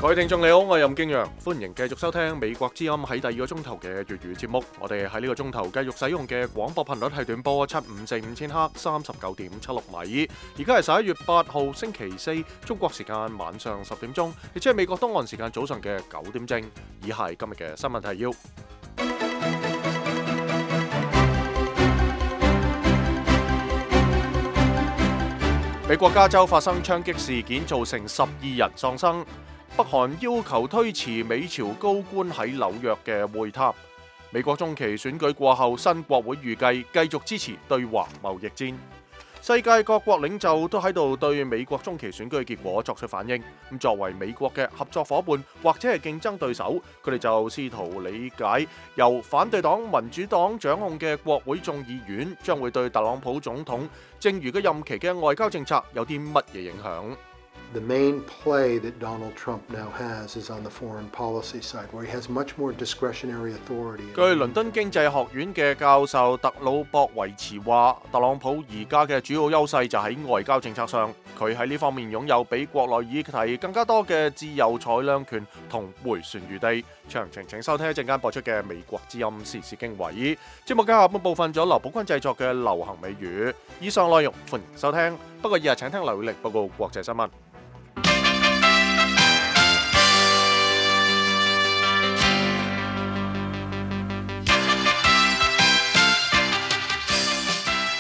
各位聽眾你好，我係任敬陽，歡迎繼續收聽美國之音喺第二個鐘頭嘅粵語節目。我哋喺呢個鐘頭繼續使用嘅廣播頻率係短波7545千赫39.76米。而家係11月8號星期四，中國時間晚上10點鐘，亦即係美國東岸時間早上嘅9點正。以下係今日嘅新聞提要。美國加州發生槍擊事件，造成12人喪生。北韓要求推遲美朝高官喺紐約嘅會談。美國中期選舉過後，新國會預計繼續支持對華貿易戰。世界各國領袖都喺度對美國中期選舉嘅結果作出反應。咁作為美國嘅合作夥伴或者係競爭對手，佢哋就試圖理解由反對黨民主黨掌控嘅國會眾議院將會對特朗普總統剩餘嘅任期嘅外交政策有啲乜嘢影響。The main play that Donald Trump now has is on the foreign policy side, where he has much more discretionary authority. 據倫敦經濟學院嘅教授特魯博維茨話，特朗普而家嘅主要優勢就喺外交政策上，佢喺呢方面擁有比國內議題更加多嘅自由裁量權同迴旋餘地。詳情請收聽一陣間播出嘅美國之音時事經緯。節目嘅下半部分咗劉寶君製作嘅流行美語。以上內容歡迎收聽，不過日日請聽劉宇力報告國際新聞。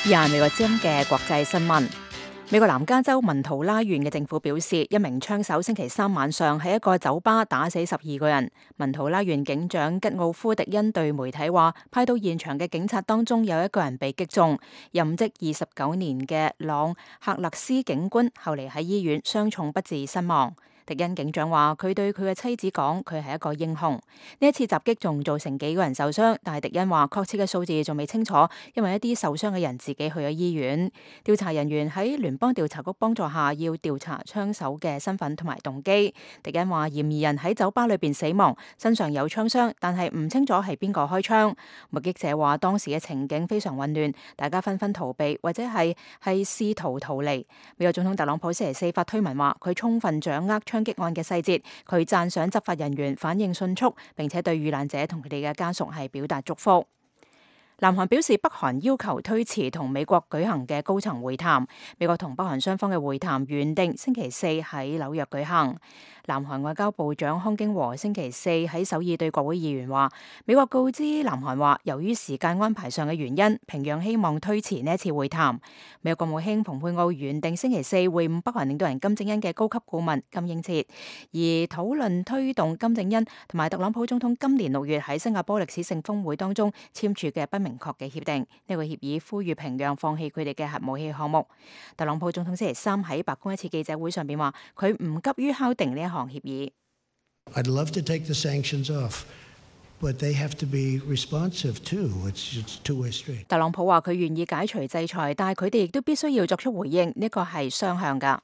以下美國之音嘅國際新聞。美國南加州文圖拉縣嘅政府表示，一名槍手星期三晚上喺一個酒吧打死12個人。文圖拉縣警長吉奧夫迪恩對媒體話，派到現場嘅警察當中有一個人被擊中。任職29年嘅朗克勒斯警官後嚟喺醫院傷重不治身亡。迪恩警長話，佢對佢嘅妻子講，佢係一個英雄。呢一次襲擊仲造成幾個人受傷，但係迪恩話確切嘅數字仲未清楚，因為一啲受傷嘅人自己去咗醫院。調查人員喺聯邦調查局幫助下，要調查槍手嘅身份同埋動機。迪恩話，嫌疑人喺酒吧裏邊死亡，身上有槍傷，但係唔清楚係邊個開槍。目擊者話，當時嘅情景非常混亂，大家紛紛逃避或者係試圖逃離。美國總統特朗普星期四發推文話，佢充分掌握槍擊案嘅細節，佢讚賞執法人員反應迅速，並且對遇難者同佢哋嘅家屬係表達祝福。南韓表示，北韓要求推遲同美國舉行嘅高層會談。美國同北韓雙方嘅會談原定星期四喺紐約舉行。南韓外交部長康京和星期四喺首爾對國會議員話，美國告知南韓話，由於時間安排上嘅原因，平壤希望推遲呢一次會談。美國國務卿蓬佩奧原定星期四會晤北韓領導人金正恩嘅高級顧問金英哲，而討論推動金正恩同埋特朗普總統今年6月喺新加坡歷史性峰會當中簽署嘅不明確嘅協定。呢個協議呼籲平壤放棄佢哋嘅核武器項目。特朗普總統星期三喺白宮一次記者會上邊話，佢唔急於敲定呢一項協議。I'd love to take the sanctions off, but they have to be responsive too. It's two-way street. 特朗普話佢願意解除制裁，但係佢哋亦都必須要作出回應，呢個係雙向㗎。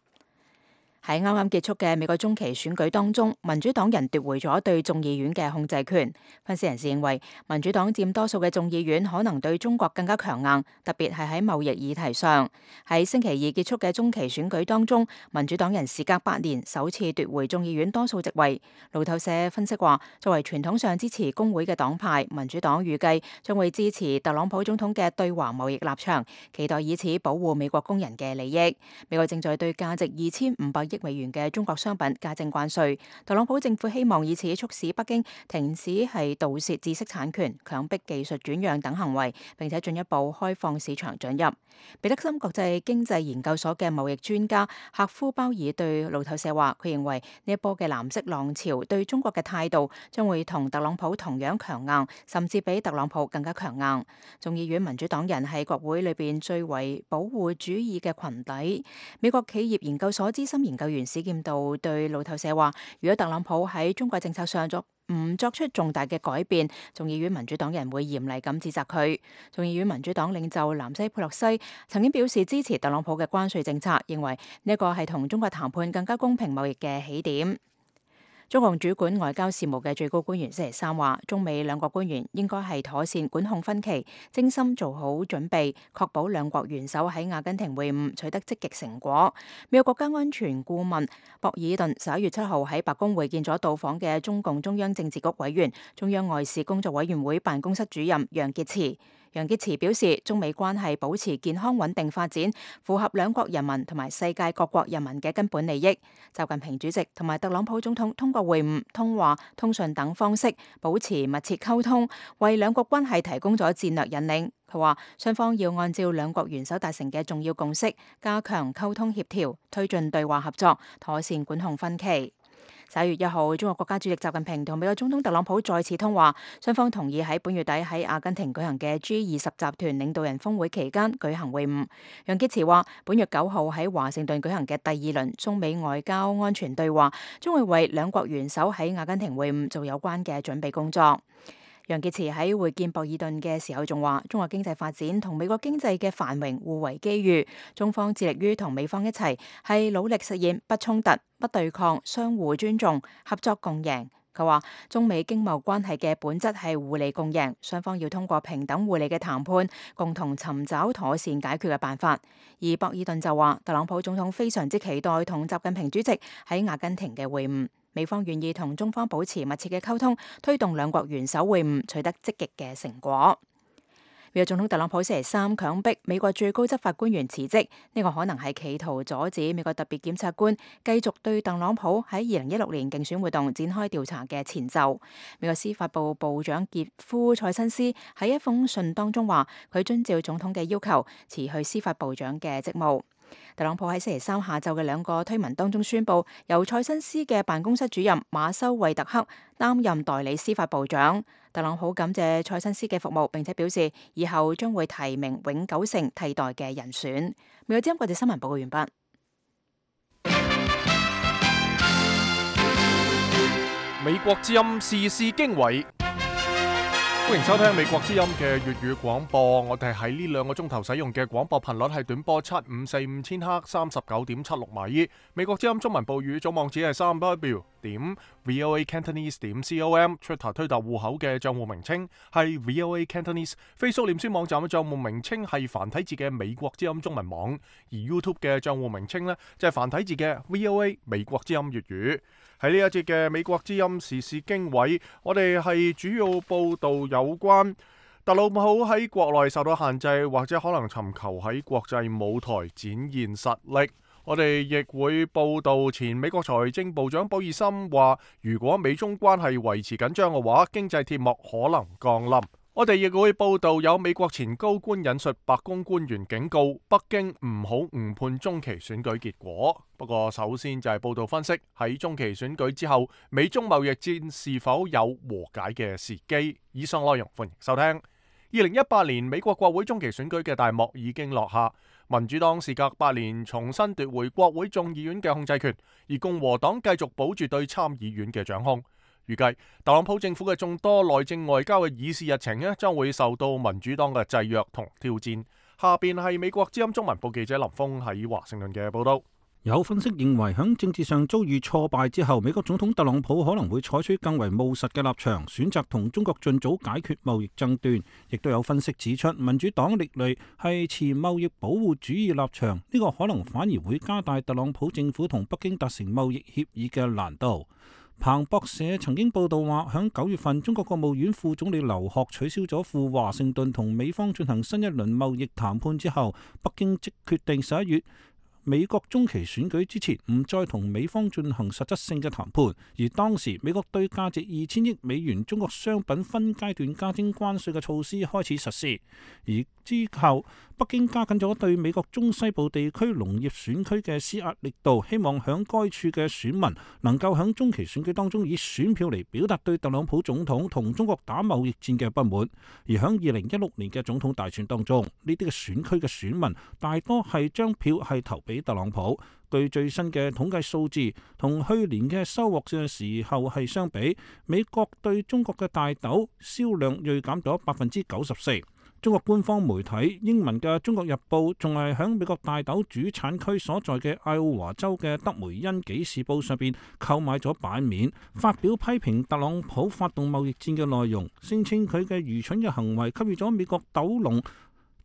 喺啱啱結束嘅美國中期選舉當中，民主黨人奪回咗對眾議院嘅控制權。分析人士認為，民主黨佔多數嘅眾議院可能對中國更加強硬，特別係喺貿易議題上。喺星期二結束嘅中期選舉當中，民主黨人時隔8年首次奪回眾議院多數席位。路透社分析話，作為傳統上支持工會嘅黨派，民主黨預計將會支持特朗普總統嘅對華貿易立場，期待以此保護美國工人嘅利益。美國正在對價值2500億美元嘅中國商品加徵關稅，特朗普政府希望以此促使北京停止係盜竊知識產權、強迫技術轉讓等行為，並且進一步開放市場准入。彼得森國際經濟研究所嘅貿易專家赫夫鮑爾對路透社話，佢認為呢一波嘅藍色浪潮對中國嘅態度將會同特朗普同樣強硬，甚至比特朗普更加強硬。眾議院民主黨人係國會裏邊最為保護主義嘅群體。美國企業研究所資深研究員史劍道對路透社話，如果特朗普喺中國政策上唔作出重大嘅改變，眾議院民主黨人會嚴厲咁指責佢。眾議院民主黨領袖南希佩洛西曾經表示支持特朗普嘅關稅政策，認為呢一個係同中國談判更加公平貿易嘅起點。中共主管外交事務嘅最高官員星期三話，中美兩國官員應該係妥善管控分歧，精心做好準備，確保兩國元首喺阿根廷會晤取得積極成果。美國國家安全顧問博爾頓11月7號喺白宮會見咗到訪嘅中共中央政治局委員、中央外事工作委員會辦公室主任楊潔篪。楊潔篪表示，中美關係保持健康穩定發展，符合兩國人民同埋世界各國人民嘅根本利益。習近平主席同埋特朗普總統通過會晤、通話、通訊等方式保持密切溝通，為兩國關係提供咗戰略引領。佢話，雙方要按照兩國元首達成嘅重要共識，加強溝通協調，推進對話合作，妥善管控分歧。11月1號，中國國家主席習近平同美國總統特朗普再次通話，雙方同意喺本月底喺阿根廷舉行嘅 G20 集團領導人峰會期間舉行會晤。楊潔篪話，本月9號喺華盛頓舉行嘅第二輪中美外交安全對話，將會為兩國元首喺阿根廷會晤做有關嘅準備工作。楊潔篪喺會見博爾頓嘅時候仲話，中國經濟發展同美國經濟嘅繁榮互為機遇，中方致力於同美方一齊係努力實現不衝突、不對抗、相互尊重、合作共贏。佢話，中美經貿關係嘅本質係互利共贏，雙方要通過平等互利嘅談判，共同尋找妥善解決嘅辦法。而博爾頓就話，特朗普總統非常之期待同習近平主席喺阿根廷嘅會晤。美方願意同中方保持密切嘅溝通，推動兩國元首會晤取得積極嘅成果。美國總統特朗普星期三強迫美國最高執法官員辭職，呢個可能係企圖阻止美國特別檢察官繼續對特朗普喺2016年競選活動展開調查嘅前奏。美國司法部部長傑夫·塞辛斯喺一封信當中話，佢遵照總統嘅要求辭去司法部長嘅職務。特朗普喺星期三下晝嘅兩個推文當中宣布，由塞辛斯嘅辦公室主任馬修惠特克擔任代理司法部長。特朗普感謝塞辛斯嘅服務，並且表示以後將會提名永久性替代嘅人選。美國之音國際新聞報告完畢。美國之音時事經緯。歡迎收聽美國之音嘅粵語廣播。我哋喺呢2個鐘頭使用嘅廣播頻率係短波7545千赫 39.76 米。美國之音中文部語總網址係 3w.voacantonese.com。Twitter 推特戶口嘅賬戶名稱係 VOA Cantonese。Facebook 臉書網站嘅賬戶名稱係繁體字嘅美國之音中文網。而 YouTube 嘅賬戶名稱呢，就係繁體字嘅 VOA 美國之音粵語。喺呢一節嘅美國之音時事經緯，我哋係主要報道有關特朗普喺國內受到限制，或者可能尋求喺國際舞台展現實力。我哋亦會報道前美國財政部長鮑爾森話，如果美中關係維持緊張嘅話，經濟鐵幕可能降臨。我哋亦會報道有美國前高官引述白宮官員警告北京唔好誤判中期選舉結果。不過首先就係報道分析喺中期選舉之後，美中貿易戰是否有和解嘅時機。以上內容歡迎收聽。2018年美國國會中期選舉嘅大幕已經落下，民主黨時隔8年重新奪回國會眾議院嘅控制權，而共和黨繼續保住對參議院嘅掌控。預計特朗普政府嘅眾多內政外交嘅議事日程將會受到民主黨嘅制約同挑戰。下邊係美國之音中文部記者林峰喺華盛頓嘅報道。有分析認為，喺政治上遭遇挫敗之後，美國總統特朗普可能會採取更為務實嘅立場，選擇同中國盡早解決貿易爭端。亦都有分析指出，民主黨歷來係持貿易保護主義立場，呢個可能反而會加大特朗普政府同北京達成貿易協議嘅難度。彭博社曾經報道話，響9月份，中國國務院副總理劉鶴取消咗赴華盛頓同美方進行新一輪貿易談判之後，北京即決定11月美國中期選舉之前唔再同美方進行實質性嘅談判，而當時美國對價值2000億美元中國商品分階段加徵關稅嘅措施開始實施，而之後北京加緊咗對美國中西部地區農業選區嘅施壓力度，希望響該處嘅選民能夠響中期選舉當中以選票嚟表達對特朗普總統同中國打貿易戰嘅不滿。而響2016年嘅總統大選當中，呢啲嘅選區嘅選民大多係將票係投俾特朗普。據最新嘅統計數字，同去年嘅收穫嘅時候係相比，美國對中國嘅大豆銷量銳減咗94%。中國官方媒體英文嘅《中國日報》仲係喺美國大豆主產區所在嘅愛奧華州嘅德梅恩紀事報上邊購買咗版面，發表批評特朗普發動貿易戰嘅內容，聲稱佢嘅愚蠢嘅行為給予咗美國豆農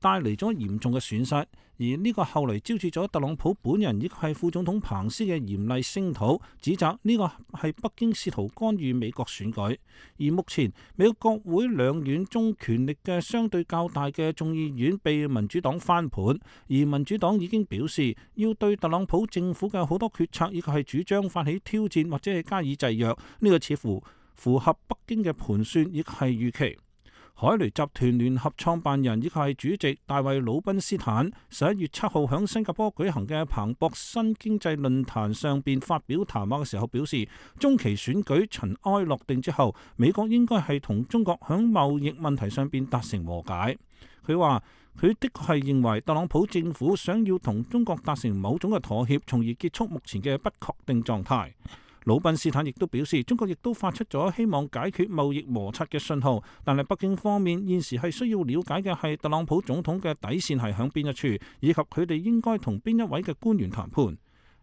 帶嚟咗嚴重嘅損失，而呢個後嚟招致咗特朗普本人以及係副總統彭斯嘅嚴厲聲討，指責呢個係北京試圖干預美國選舉。而目前美國國會兩院中權力嘅相對較大嘅眾議院被民主黨翻盤，而民主黨已經表示要對特朗普政府嘅好多決策以及係主張發起挑戰或者係加以制約，呢個似乎符合北京嘅盤算，亦係預期。海雷集團聯合創辦人以及係主席大衛魯賓斯坦11月7號喺新加坡舉行嘅彭博新經濟論壇上邊發表談話嘅時候表示，中期選舉塵埃落定之後，美國應該係同中國喺貿易問題上邊達成和解。佢話佢的確係認為特朗普政府想要同中國達成某種嘅妥協，從而結束目前嘅不確定狀態。魯賓斯坦亦都表示，中國亦都發出咗希望解決貿易摩擦嘅信號，但係北京方面現時係需要了解嘅係特朗普總統嘅底線係響邊一處，以及佢哋應該同邊一位嘅官員談判。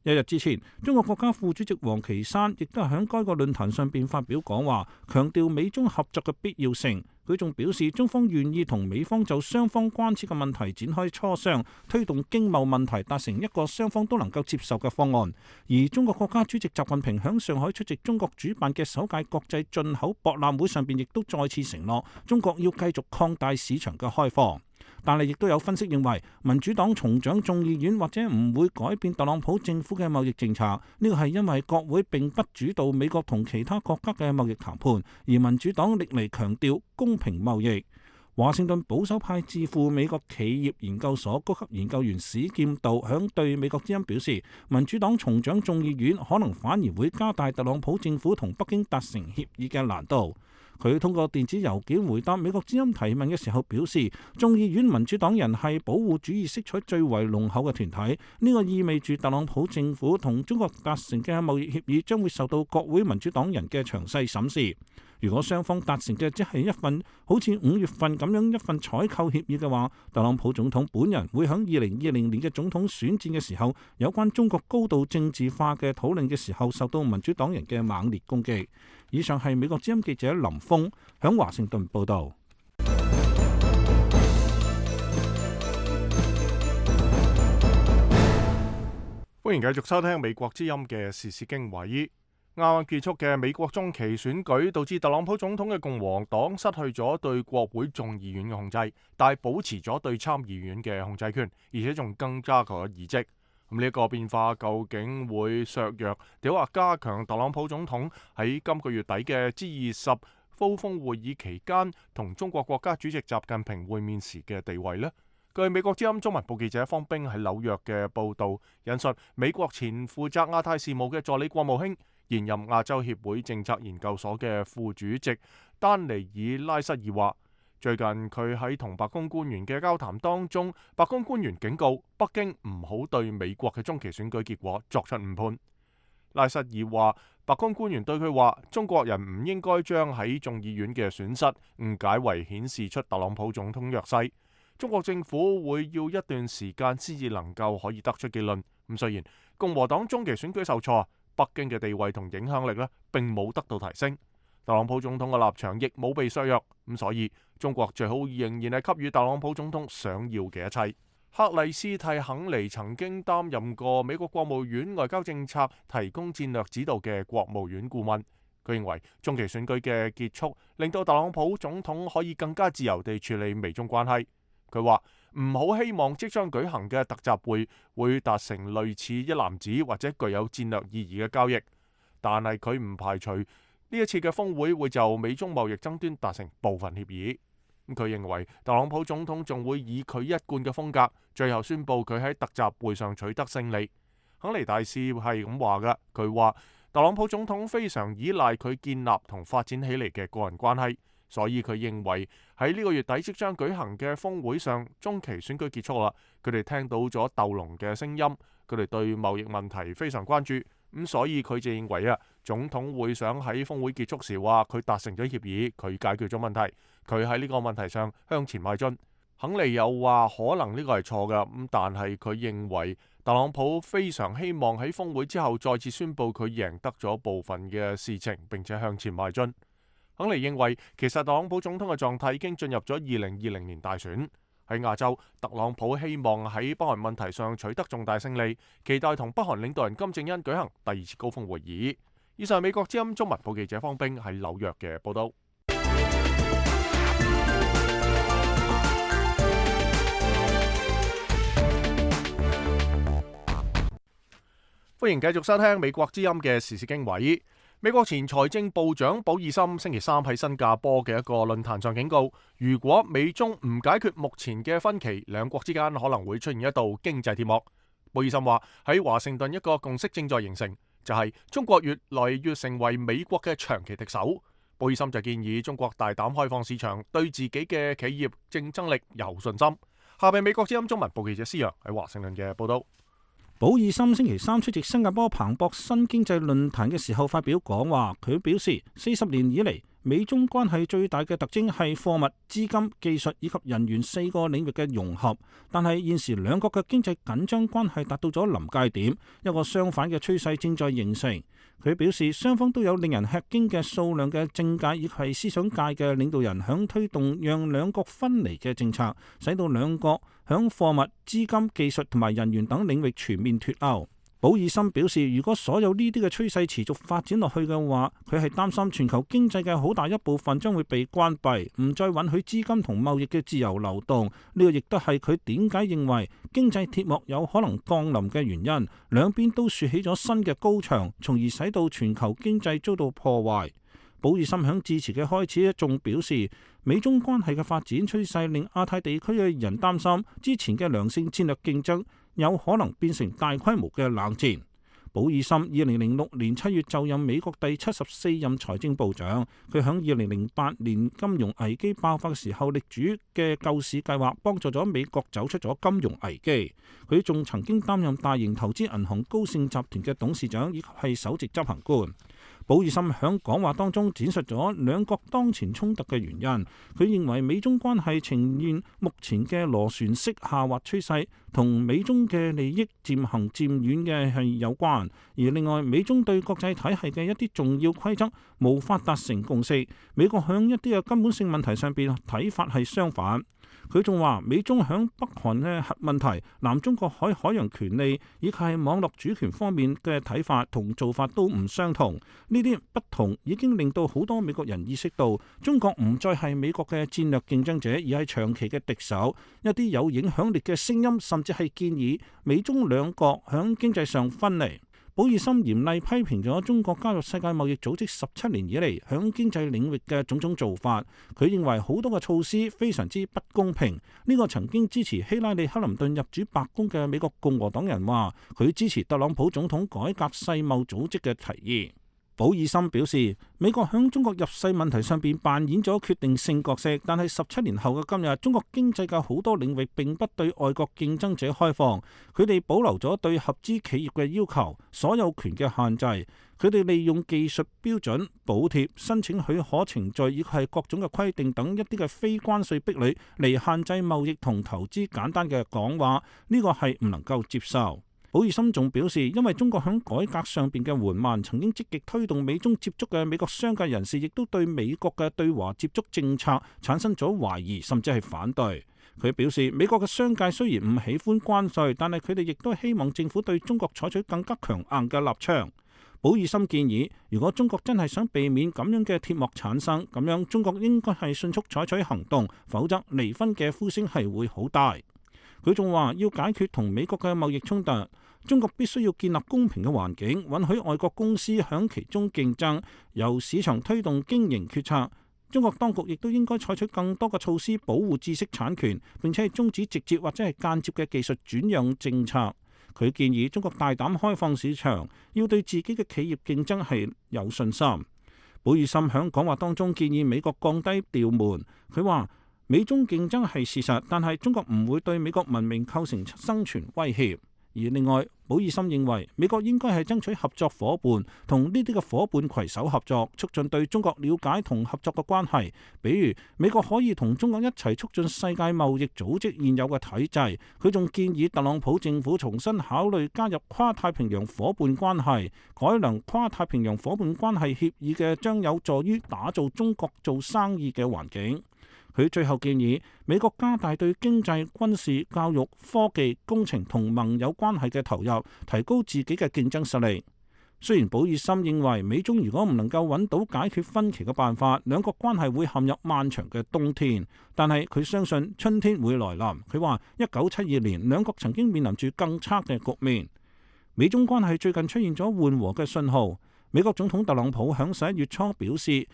一日之前，中國國家副主席王岐山亦都係喺該個論壇上邊發表講話，強調美中合作嘅必要性。佢仲表示，中方願意同美方就雙方關切嘅問題展開磋商，推動經貿問題達成一個雙方都能夠接受嘅方案。而中國國家主席習近平喺上海出席中國主辦嘅首屆國際進口博覽會上邊，亦都再次承諾中國要繼續擴大市場嘅開放。但係亦都有分析認為，民主黨重掌眾議院或者唔會改變特朗普政府嘅貿易政策，呢個係因為國會並不主導美國同其他國家嘅貿易談判，而民主黨歷嚟強調公平貿易。華盛頓保守派智庫美國企業研究所高級研究員史劍道響對美國之音表示，民主黨重掌眾議院可能反而會加大特朗普政府同北京達成協議嘅難度。佢通過電子郵件回答美國之音提問嘅時候表示，眾議院民主黨人係保護主義色彩最為濃厚嘅團體，呢個意味住特朗普政府同中國達成嘅貿易協議將會受到國會民主黨人嘅詳細審視。如果雙方達成嘅只係一份好似5月份咁樣一份採購協議嘅話，特朗普總統本人會喺2020年嘅總統選戰嘅時候，有關中國高度政治化嘅討論嘅時候，受到民主黨人嘅猛烈攻擊。以上係美國之音記者林峰響華盛頓報道。歡迎繼續收聽美國之音嘅時事經緯。啱啱結束嘅美國中期選舉，導致特朗普總統嘅共和黨失去咗對國會眾議院嘅控制，但係保持咗對參議院嘅控制權，而且仲增加咗議席。咁呢一個變化究竟會削弱定或加強特朗普總統喺今個月底嘅 G20 高峰會議期間同中國國家主席習近平會面時嘅地位呢？據美國之音中文部記者方冰喺紐約嘅報導，引述美國前負責亞太事務嘅助理國務卿、現任亞洲協會政策研究所嘅副主席丹尼爾拉塞爾話，最近佢喺同白宮官員嘅交談當中，白宮官員警告北京唔好對美國嘅中期選舉結果作出誤判。拉塞爾話，白宮官員對佢話，中國人唔應該將喺眾議院嘅損失誤解為顯示出特朗普總統弱勢。中國政府會要一段時間先至能夠可以得出結論。咁雖然共和黨中期選舉受挫，北京嘅地位同影響力並冇得到提升，特朗普總統嘅立場亦冇被削弱。咁所以中國最好仍然係給予特朗普總統想要嘅一切。克里斯蒂肯尼曾經擔任過美國國務院外交政策提供戰略指導嘅國務院顧問。佢認為中期選舉嘅結束令到特朗普總統可以更加自由地處理美中關係。佢話唔好希望即將舉行嘅特集會達成類似一籃子或者具有戰略意義嘅交易，但係佢唔排除呢一次嘅峰會會就美中貿易爭端達成部分協議。佢認為特朗普總統仲會以佢一貫嘅風格，最後宣佈佢喺特集會上取得勝利。肯尼大使係咁話㗎，佢話特朗普總統非常依賴佢建立同發展起嚟嘅個人關係。所以佢認為喺呢個月底即將舉行嘅峰會上，中期選舉結束啦。佢哋聽到咗鬥龍嘅聲音，佢哋對貿易問題非常關注。咁所以佢就認為總統會想喺峰會結束時話佢達成咗協議，佢解決咗問題，佢喺呢個問題上向前邁進。肯尼又話可能呢個係錯㗎，咁但係佢認為特朗普非常希望喺峰會之後再次宣佈佢贏得咗部分嘅事情，並且向前邁進。肯尼認為其實特朗普總統嘅狀態已經進入咗2020年大選。喺亞洲，特朗普希望喺北韓問題上取得重大勝利，期待同北韓領導人金正恩舉行第二次高峰會議。以上美國之音中文部記者方冰喺紐約嘅報道。歡迎繼續收聽美國之音嘅時事經緯。美國前財政部長保爾森星期三喺新加坡嘅一個論壇上警告，如果美中唔解決目前嘅分歧，兩國之間可能會出現一道經濟鐵幕。保爾森話喺華盛頓一個共識正在形成，就係中國越來越成為美國嘅長期敵手。保爾森就建議中國大膽開放市場，對自己嘅企業競爭力有信心。下邊美國之音中文部記者施陽喺華盛頓嘅報道。保爾森星期三出席新加坡彭博新經濟論壇嘅時候發表講話，佢表示40年以嚟，美中關係最大嘅特徵係貨物、資金、技術以及人員4個領域嘅融合，但係現時兩國嘅經濟緊張關係達到咗臨界點，一個相反嘅趨勢正在形成。佢表示雙方都有令人吃驚嘅數量嘅政界以及係思想界嘅領導人響推動讓兩國分離嘅政策，使到兩國響貨物、資金、技術同埋人員等領域全面脫鈎。保爾森表示，如果所有呢啲嘅趨勢持續發展落去嘅話，佢係擔心全球經濟嘅好大一部分將會被關閉，唔再允許資金同貿易嘅自由流動。呢個亦都係佢點解認為經濟鐵幕有可能降臨嘅原因。兩邊都豎起咗新嘅高牆，從而使到全球經濟遭到破壞。保爾森響致辭嘅開始仲表示，美中關係嘅發展趨勢令亞太地區嘅人擔心，之前嘅良性戰略競爭有可能變成大規模嘅冷戰。保爾森2006年7月就任美國第74任財政部長，佢響2008年金融危機爆發嘅時候力主嘅救市計劃，幫助咗美國走出咗金融危機。佢仲曾經擔任大型投資銀行高盛集團嘅董事長，以及係首席執行官。保爾森響講話當中展述咗兩國當前衝突嘅原因。佢認為美中關係呈現目前嘅螺旋式下滑趨勢，同美中嘅利益漸行漸遠嘅係有關。而另外，美中對國際體系嘅一啲重要規則無法達成共識。美國響一啲嘅根本性問題上邊睇法係相反。佢仲話，美中響北韓嘅核問題、南中國海海洋權利以及係網絡主權方面嘅睇法同做法都唔相同。呢啲不同已經令到好多美國人意識到，中國唔再係美國嘅戰略競爭者，而係長期嘅敵手。一啲有影響力嘅聲音甚至係建議美中兩國響經濟上分離。保爾森嚴厲批評咗中國加入世界貿易組織17年以嚟響經濟領域嘅種種做法。佢認為好多嘅措施非常之不公平。呢個曾經支持希拉里克林頓入主白宮嘅美國共和黨人話，佢支持特朗普總統改革世貿組織嘅提議。保爾森表示，美國響中國入世問題上邊扮演咗決定性角色，但係17年後嘅今日，中國經濟嘅好多領域並不對外國競爭者開放，佢哋保留咗對合資企業嘅要求、所有權嘅限制，佢哋利用技術標準、補貼、申請許可程序以及係各種嘅規定等一啲嘅非關稅壁壘嚟限制貿易同投資。簡單嘅講話，呢個係唔能夠接受。保爾森仲表示，因為中國響改革上邊嘅緩慢，曾經積極推動美中接觸嘅美國商界人士，亦都對美國嘅對華接觸政策產生咗懷疑，甚至係反對。佢表示，美國嘅商界雖然唔喜歡關稅，但係佢哋亦都希望政府對中國採取更加強硬嘅立場。保爾森建議，如果中國真係想避免咁樣嘅鐵幕產生，咁樣中國應該係迅速採取行動，否則離婚嘅呼聲係會好大。佢仲話，要解決同美國嘅貿易衝突，中國必須要建立公平嘅環境，允許外國公司響其中競爭，由市場推動經營決策。中國當局亦都應該採取更多嘅措施保護知識產權，並且係終止直接或者係間接嘅技術轉讓政策。佢建議中國大膽開放市場，要對自己嘅企業競爭係有信心。保爾森響講話當中建議美國降低調門。佢話，美中競爭係事實，但係中國唔會對美國文明構成生存威脅。而另外，保爾森認為美國應該係爭取合作夥伴，同呢啲嘅夥伴攜手合作，促進對中國了解同合作嘅關係。比如，美國可以同中國一齊促進世界貿易組織現有嘅體制。佢仲建議特朗普政府重新考慮加入跨太平洋夥伴關係，改良跨太平洋夥伴關係協議嘅將有助於打造中國做生意嘅環境。佢最後建議美國加大對經濟、軍事、教育、科技、工程同盟友關係嘅投入，提高自己嘅競爭實力。雖然保爾森認為美中如果唔能夠揾到解決分歧嘅辦法，兩國關係會陷入漫長嘅冬天，但係佢相信春天會來臨。佢話1972年兩國曾經面臨住更差嘅局面。美中關係最近出現咗緩和嘅信號。美國總統特朗普響11月初表示，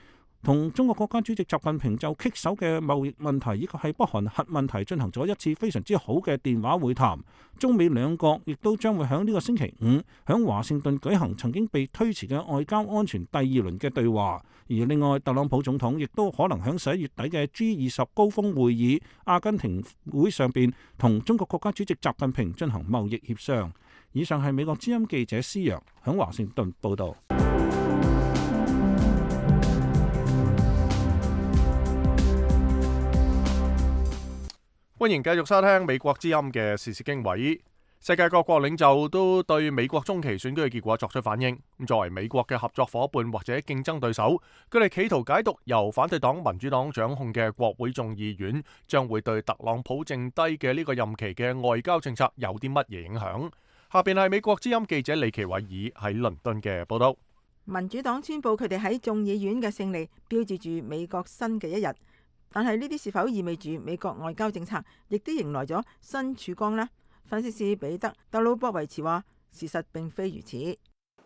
同中國國家主席習近平就棘手嘅貿易問題，以及係北韓核問題進行咗一次非常之好嘅電話會談。中美兩國亦都將會喺呢個星期五響華盛頓舉行曾經被推遲嘅外交安全第二輪嘅對話。而另外，特朗普總統亦都可能喺11月底嘅 G20 高峰會議阿根廷會上邊同中國國家主席習近平進行貿易協商。以上係美國之音記者施陽響華盛頓報導。歡迎繼續收聽美國之音嘅時事經緯。世界各國領袖都對美國中期選舉嘅結果作出反應。作為美國嘅合作夥伴或者競爭對手，佢哋企圖解讀由反對黨民主黨掌控嘅國會眾議院將會對特朗普剩低嘅呢個任期嘅外交政策有啲乜嘢影響。下邊係美國之音記者李奇偉爾喺倫敦嘅報道。民主黨宣佈佢哋喺眾議院嘅勝利，標誌住美國新嘅一日。但係呢啲是否意味住美國外交政策亦都迎來咗新曙光呢？分析師彼得·特魯博維茨話：事實並非如此。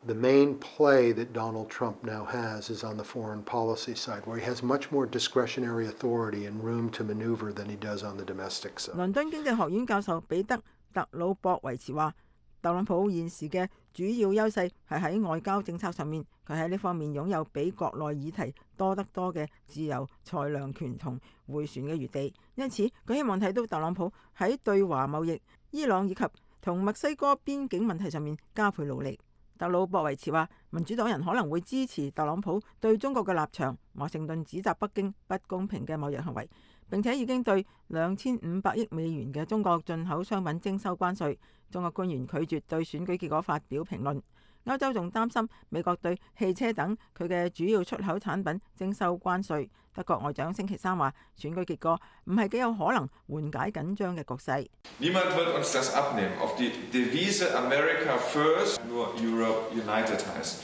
The main play that Donald Trump now has is on the foreign policy side, where he has much more discretionary authority and room to maneuver than he does on the domestic side. 倫敦經濟學院教授彼得·特魯博維茨話：特朗普現時嘅主要優勢係喺外交政策上面，佢喺呢方面擁有比國內議題多得多嘅自由裁量權同迴旋嘅餘地，因此佢希望睇到特朗普喺對華貿易、伊朗以及同墨西哥邊境問題上面加倍努力。特魯博維茨話，民主黨人可能會支持特朗普對中國嘅立場。華盛頓指責北京不公平嘅貿易行為，並且已經對2500億美元嘅中國進口商品徵收關稅。中國官員拒絕對選舉結果發表評論。歐洲仲擔心美國對汽車等佢嘅主要出口產品徵收關稅。德國外長星期三話，選舉結果唔係幾有可能緩解緊張嘅局勢。Niemand wird uns das abnehmen. Auf die Devise America first, nur Europe united heißt.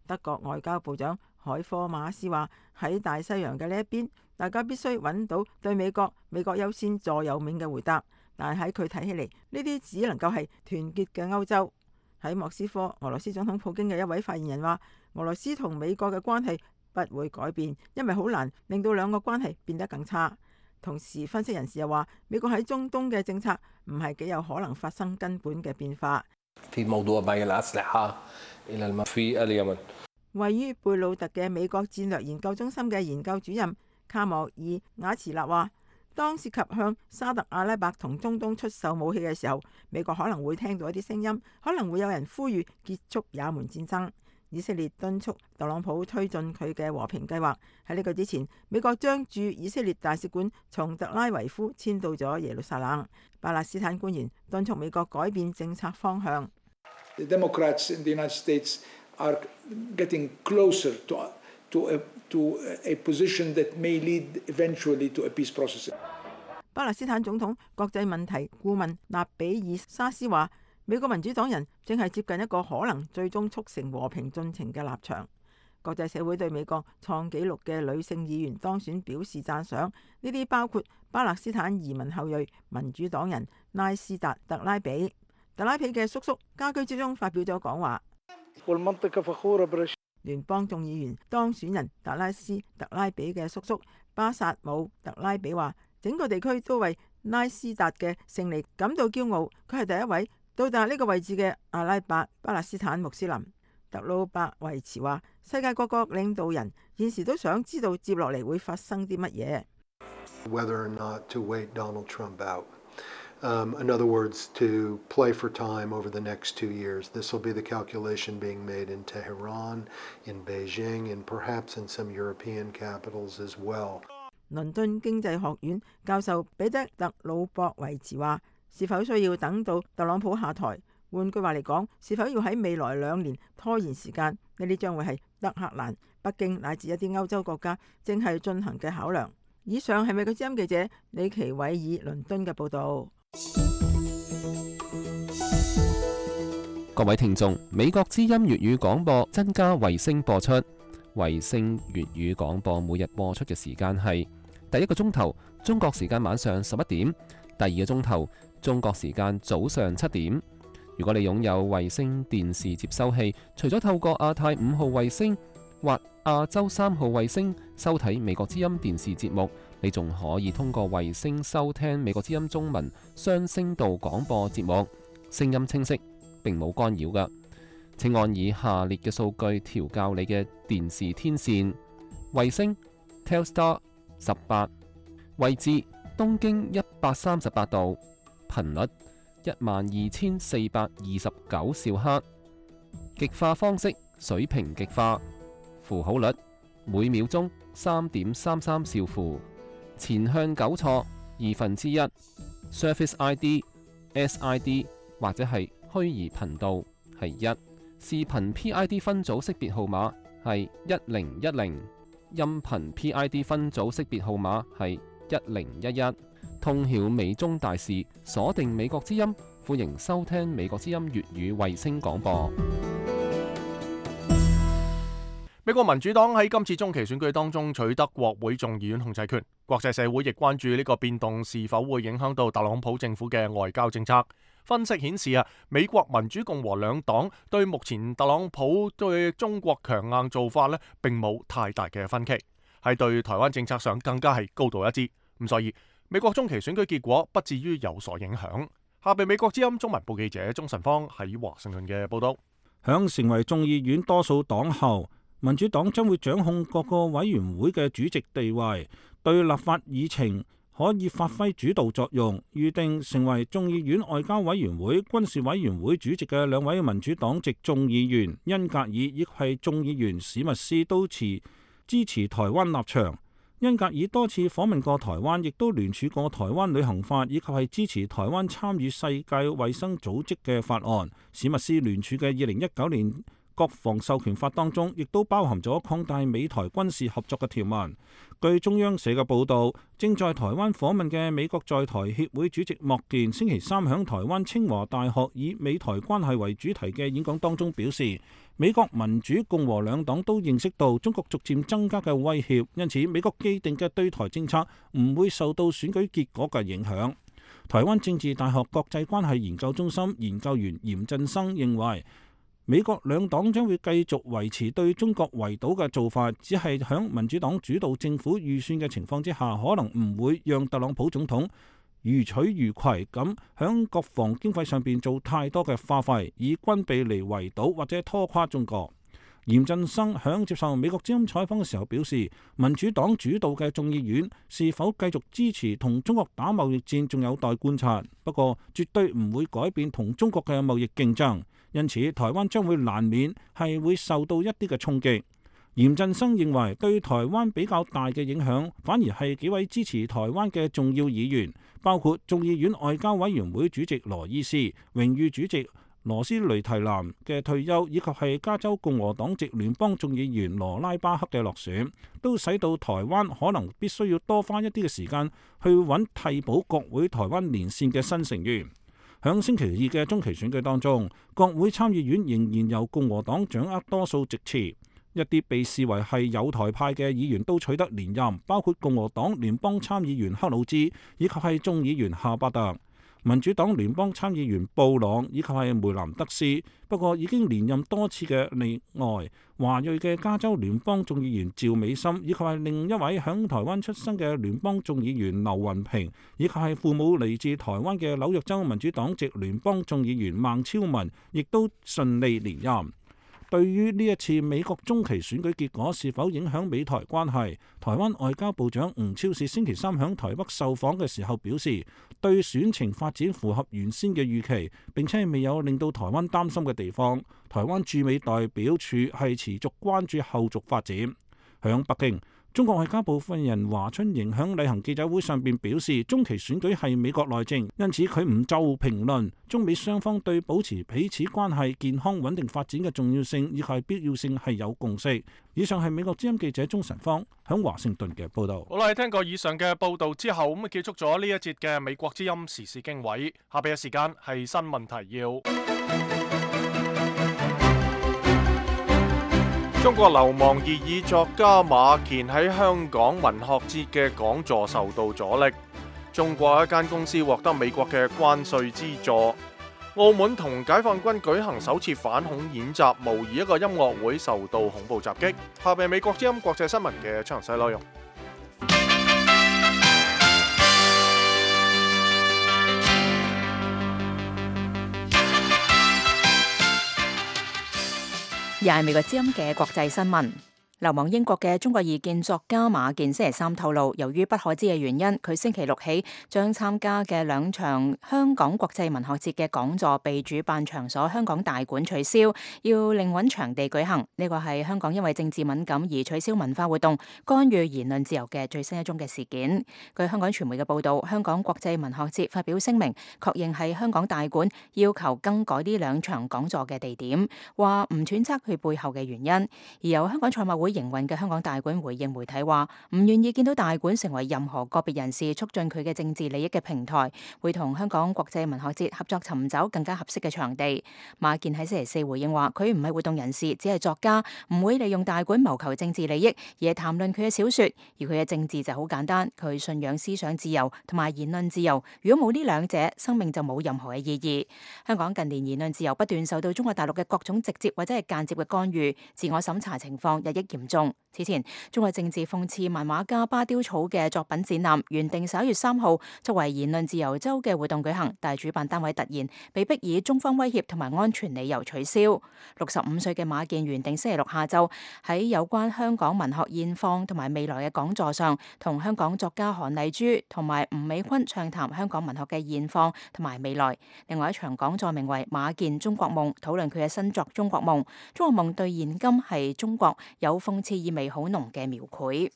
德國外交部長海科馬斯話，喺大西洋嘅呢一邊，大家必須揾到對美國優先座右銘嘅回答。但係喺佢睇起嚟，呢啲只能夠係團結嘅歐洲。喺莫斯科，俄羅斯總統普京嘅一位發言人話，俄羅斯同美國嘅關係不會改變，因為好難令到兩個關係變得更差。同時，分析人士又話，美國喺中東嘅政策唔係幾有可能發生根本嘅變化。位於貝魯特嘅美國戰略研究中心嘅研究主任卡莫爾瓦茨納話，當涉及向沙特阿拉伯同中東出售武器嘅時候，美國可能會聽到一啲聲音，可能會有人呼籲結束也門戰爭。以色列敦促特朗普推進佢嘅和平計劃。喺呢個之前，美國將駐以色列大使館從特拉維夫遷到咗耶路撒冷。巴勒斯坦官員敦促美國改變政策方向。The Democrats in the United States are getting closer to a position that may lead eventually to a peace process. 巴勒斯坦總統國際問題顧問納比爾沙斯話，美國民主黨人正係接近一個可能最終促成和平進程嘅立場。國際社會對美國創紀錄嘅女性議員當選表示讚賞，呢啲包括巴勒斯坦移民後裔民主黨人拉斯達特拉比。特拉比嘅叔叔家居之中發表咗講話。聯邦眾議員當選人達拉斯特拉比嘅叔叔巴薩姆特拉比話，整個地區都為拉斯達嘅勝利感到驕傲。佢係第一位到達呢個位置嘅阿拉伯巴勒斯坦穆斯林。特魯伯維茨話，世界各國領導人現時都想知道接落嚟會發生啲乜嘢。Whether or not to wait Donald Trump out. In other words, to play for time over the next 2 years. This will be the calculation being made in Tehran, in Beijing, and perhaps in some European capitals as well. 倫敦經濟學院教授彼得特魯博維茨話：是否需要等到特朗普下台？換句話嚟講，是否要喺未來2年拖延時間？呢啲將會係德黑蘭、北京乃至一啲歐洲國家正係進行嘅考量。以上係美國之音記者李奇偉爾倫敦嘅報導。各位聽眾，美國之音粵語廣播增加衛星播出，衛星粵語廣播每日播出嘅時間係第一個鐘頭中國時間晚上11點，第二個鐘頭中國時間早上7點。如果你擁有衛星電視接收器，除咗透過亞太5號衛星或亞洲3號衛星收睇美國之音電視節目，你仲可以通過衛星收聽美國之音中文雙聲道廣播節目，聲音清晰，並冇干擾㗎。請按以下列嘅數據調校你嘅電視天線：衛星 Telstar 18，位置東經138度，頻率12429兆赫，極化方式水平極化，符號率每秒鐘3.33兆符，前向糾錯1/2， Surface ID、SID 或者係虛擬頻道係1，視頻 PID 分組識別號碼係1010，音頻 PID 分組識別號碼係1011。通曉美中大事，鎖定美國之音，歡迎收聽美國之音粵語衛星廣播。美國民主黨喺今次中期選舉當中取得國會眾議院控制權，國際社會亦關注呢個變動是否會影響到特朗普政府嘅外交政策。分析顯示美國民主共和兩黨對目前特朗普對中國強硬做法並冇太大嘅分歧，喺對台灣政策上更加係高度一致。咁所以美國中期選舉結果不至於有所影響。下邊美國之音中文部記者鍾晨芳喺華盛頓嘅報道。響成為眾議院多數黨後，民主黨將會掌控各個委員會嘅主席地位，對立法議程可以發揮主導作用。預定成為眾議院外交委員會、軍事委員會主席嘅2位民主黨籍眾議員恩格爾以及係眾議員史密斯都支持台灣立場。恩格爾多次訪問過台灣，亦都聯署過台灣旅行法，以及係支持台灣參與世界衛生組織嘅法案。史密斯聯署嘅2019年國防授權法當中，亦都包含咗擴大美台軍事合作嘅條文。據中央社嘅報導，正在台灣訪問嘅美國在台協會主席莫健星期三響台灣清華大學以美台關係為主題嘅演講當中表示，美國民主共和兩黨都認識到中國逐漸增加嘅威脅，因此美國既定嘅對台政策唔會受到選舉結果嘅影響。台灣政治大學國際關係研究中心研究員嚴振生認為，美國兩黨將會繼續維持對中國圍堵嘅做法，只係響民主黨主導政府預算嘅情況之下，可能唔會讓特朗普總統如取如攜咁響國防經費上邊做太多嘅花費，以軍備嚟圍堵或者拖垮中國。嚴振生響接受美國之音採訪嘅時候表示，民主黨主導嘅眾議院是否繼續支持同中國打貿易戰仲有待觀察，不過絕對唔會改變同中國嘅貿易競爭，因此台灣將會難免係會受到一啲嘅衝擊。嚴振生認為對台灣比較大嘅影響反而係幾位支持台灣嘅重要議員，包括眾議院外交委員會主席羅伊斯、榮譽主席羅斯雷提南嘅退休，以及係加州共和黨籍聯邦眾議員羅拉巴克嘅落選，都使到台灣可能必須要多花一啲嘅時間去揾替補國會台灣連線嘅新成員。響星期二嘅中期選舉當中，國會參議院仍然由共和黨掌握多數席次，一啲被視為係友台派嘅議員都取得連任，包括共和黨聯邦參議員克魯茲以及係眾議員夏巴特。民主黨聯邦參議員布朗以及係梅蘭德斯，不過已經連任多次嘅例外，華裔嘅加州聯邦眾議員趙美心，以及係另一位響台灣出生嘅聯邦眾議員劉雲平，以及係父母嚟自台灣嘅紐約州民主黨籍聯邦眾議員孟超文，亦都順利連任。對於呢一次美國中期選舉結果是否影響美台關係，台灣外交部長吳釗燮星期三響台北受訪嘅時候表示，對選情發展符合原先嘅預期，並且未有令到台灣擔心嘅地方。台灣駐美代表處係持續關注後續發展。響北京，中國外交部發言人華春瑩響例行記者會上邊表示，中期選舉係美國內政，因此佢唔就評論中美雙方對保持彼此關係健康穩定發展嘅重要性以及必要性係有共識。以上係美國之音記者鐘晨芳響華盛頓嘅報道。好啦，聽過以上嘅報道之後，咁結束咗呢一節嘅美國之音時事經緯。下邊嘅時間係新聞提要。中國流亡異議作家馬健喺香港文學節嘅講座受到阻力。中國一間公司獲得美國嘅關稅資助。澳門同解放軍舉行首次反恐演習，模擬一個音樂會受到恐怖襲擊。下邊美國之音國際新聞嘅詳細內容。又係美國之音嘅國際新聞。流亡英國嘅中國異見作家馬健星期三透露，由於不可知嘅原因，佢星期六起將參加嘅2場香港國際文學節嘅講座被主辦場所香港大館取消，要另揾場地舉行。呢個係香港因為政治敏感而取消文化活動、干預言論自由嘅最新一宗嘅事件。據香港傳媒嘅報導，香港國際文學節發表聲明，確認係香港大館要求更改呢2場講座嘅地點，話唔揣測佢背後嘅原因。而由香港賽馬會營運嘅香港大館回應媒體話，唔願意見到大館成為任何個別人士促進佢嘅政治利益嘅平台，會同香港國際文學節合作尋找更加合適嘅場地。馬健喺星期四回應話，佢唔係活動人士，只係作家，唔會利用大館謀求政治利益，而係談論佢嘅小說。而佢嘅政治就好簡單，佢信仰思想自由同埋言論自由。如果冇呢2者，生命就冇任何嘅意義。香港近年言論自由不斷受到中國大陸嘅各種直接或者係間接嘅干預，自我審查情況日益嚴重。此前，中國政治諷刺漫畫家巴丟草嘅作品展覽原定11月3號作為言論自由週嘅活動舉行，但係主辦單位突然被迫以中方威脅同埋安全理由取消。65歲嘅馬健原定星期六下晝喺有關香港文學現況同埋未來嘅講座上，同香港作家韓麗珠同埋吳美坤暢談香港文學嘅現況同埋未來。另外一場講座名為《馬健中國夢》，討論佢嘅新作《中國夢》。中國夢對現今係中國有諷刺意味好濃嘅描繪。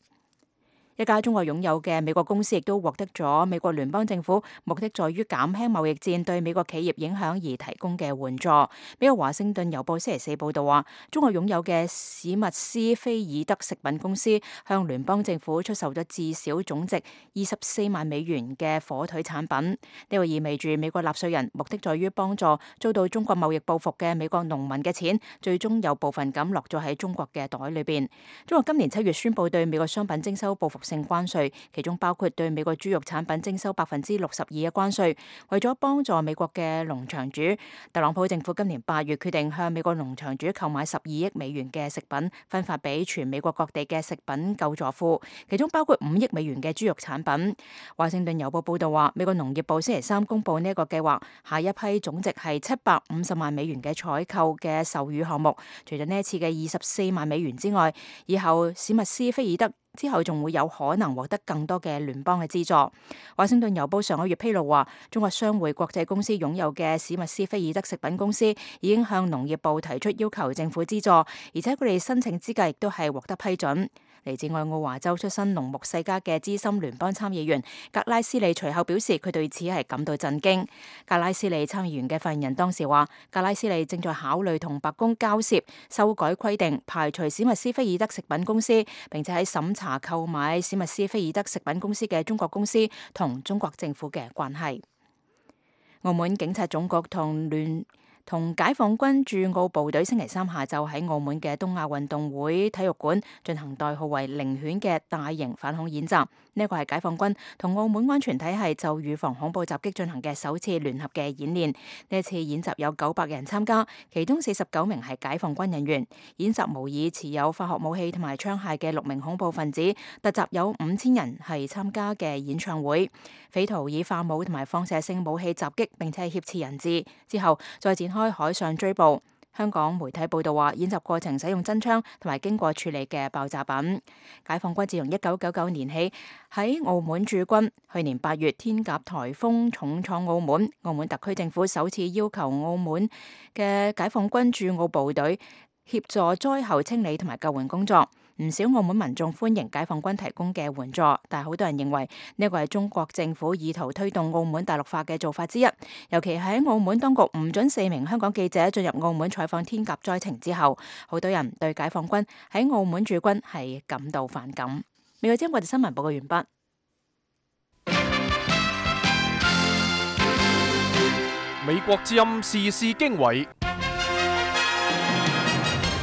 一家中國擁有嘅美國公司亦都獲得咗美國聯邦政府目的在於減輕貿易戰對美國企業影響而提供嘅援助。美國華盛頓郵報星期四報道話，中國擁有嘅史密斯菲爾德食品公司向聯邦政府出售咗至少總值24萬美元嘅火腿產品。呢個意味住美國納稅人目的在於幫助遭到中國貿易報復嘅美國農民嘅錢，最終有部分咁落咗喺中國嘅袋裏邊。中國今年7月宣布對美國商品徵收報復性關稅，其中包括對美國豬肉產品徵收62%嘅關稅。為咗幫助美國嘅農場主，特朗普政府今年8月決定向美國農場主購買12億美元嘅食品，分發俾全美國各地嘅食品救助庫，其中包括5億美元嘅豬肉產品。華盛頓郵報報道話，美國農業部星期三公布呢一個計劃，下一批總值係750萬美元嘅採購嘅授乳項目，除咗呢一次嘅24萬美元之外，以後史密斯菲爾德之後仲會有可能獲得更多嘅聯邦嘅資助。華盛頓郵報上個月披露話，中國商會國際公司擁有嘅史密斯菲爾德食品公司已經向農業部提出要求政府資助，而且佢哋申請資格亦都係獲得批准。嚟自愛奧華州出身農牧世家嘅資深聯邦參議員格拉斯利隨後表示，佢對此係感到震驚。格拉斯利參議員嘅發言人當時話，格拉斯利正在考慮同白宮交涉修改規定，排除史密斯菲爾德食品公司，並且喺審查購買史密斯菲爾德食品公司嘅中國公司同中國政府嘅關係。澳門警察總局同解放軍駐澳部隊星期三下晝喺澳門嘅東亞運動會體育館進行代號為靈犬嘅大型反恐演習。呢一個係解放軍同澳門安全體系就預防恐怖襲擊進行嘅首次聯合嘅演練。呢一次演習有900人參加，其中49名係解放軍人員。演習模擬持有化學武器同埋槍械嘅6名恐怖分子突襲有5000人係參加嘅演唱會，匪徒以化武同埋放射性武器襲擊並且挾持人質，之後再展開海上追捕。香港媒體報道話，演習過程使用真槍同埋經過處理嘅爆炸品。解放軍自從1999年起喺澳門駐軍，去年8月天鴿颱風重創澳門，澳門特區政府首次要求澳門嘅解放軍駐澳部隊協助災後清理同埋救援工作。唔少澳門民眾歡迎解放軍提供嘅援助，但係好多人認為呢個係中國政府意圖推動澳門大陸化嘅做法之一。尤其喺澳門當局唔准4名香港記者進入澳門採訪天鴿災情之後，好多人對解放軍喺澳門駐軍係感到反感。美國之音國際新聞報告完畢。美國之音時事經緯。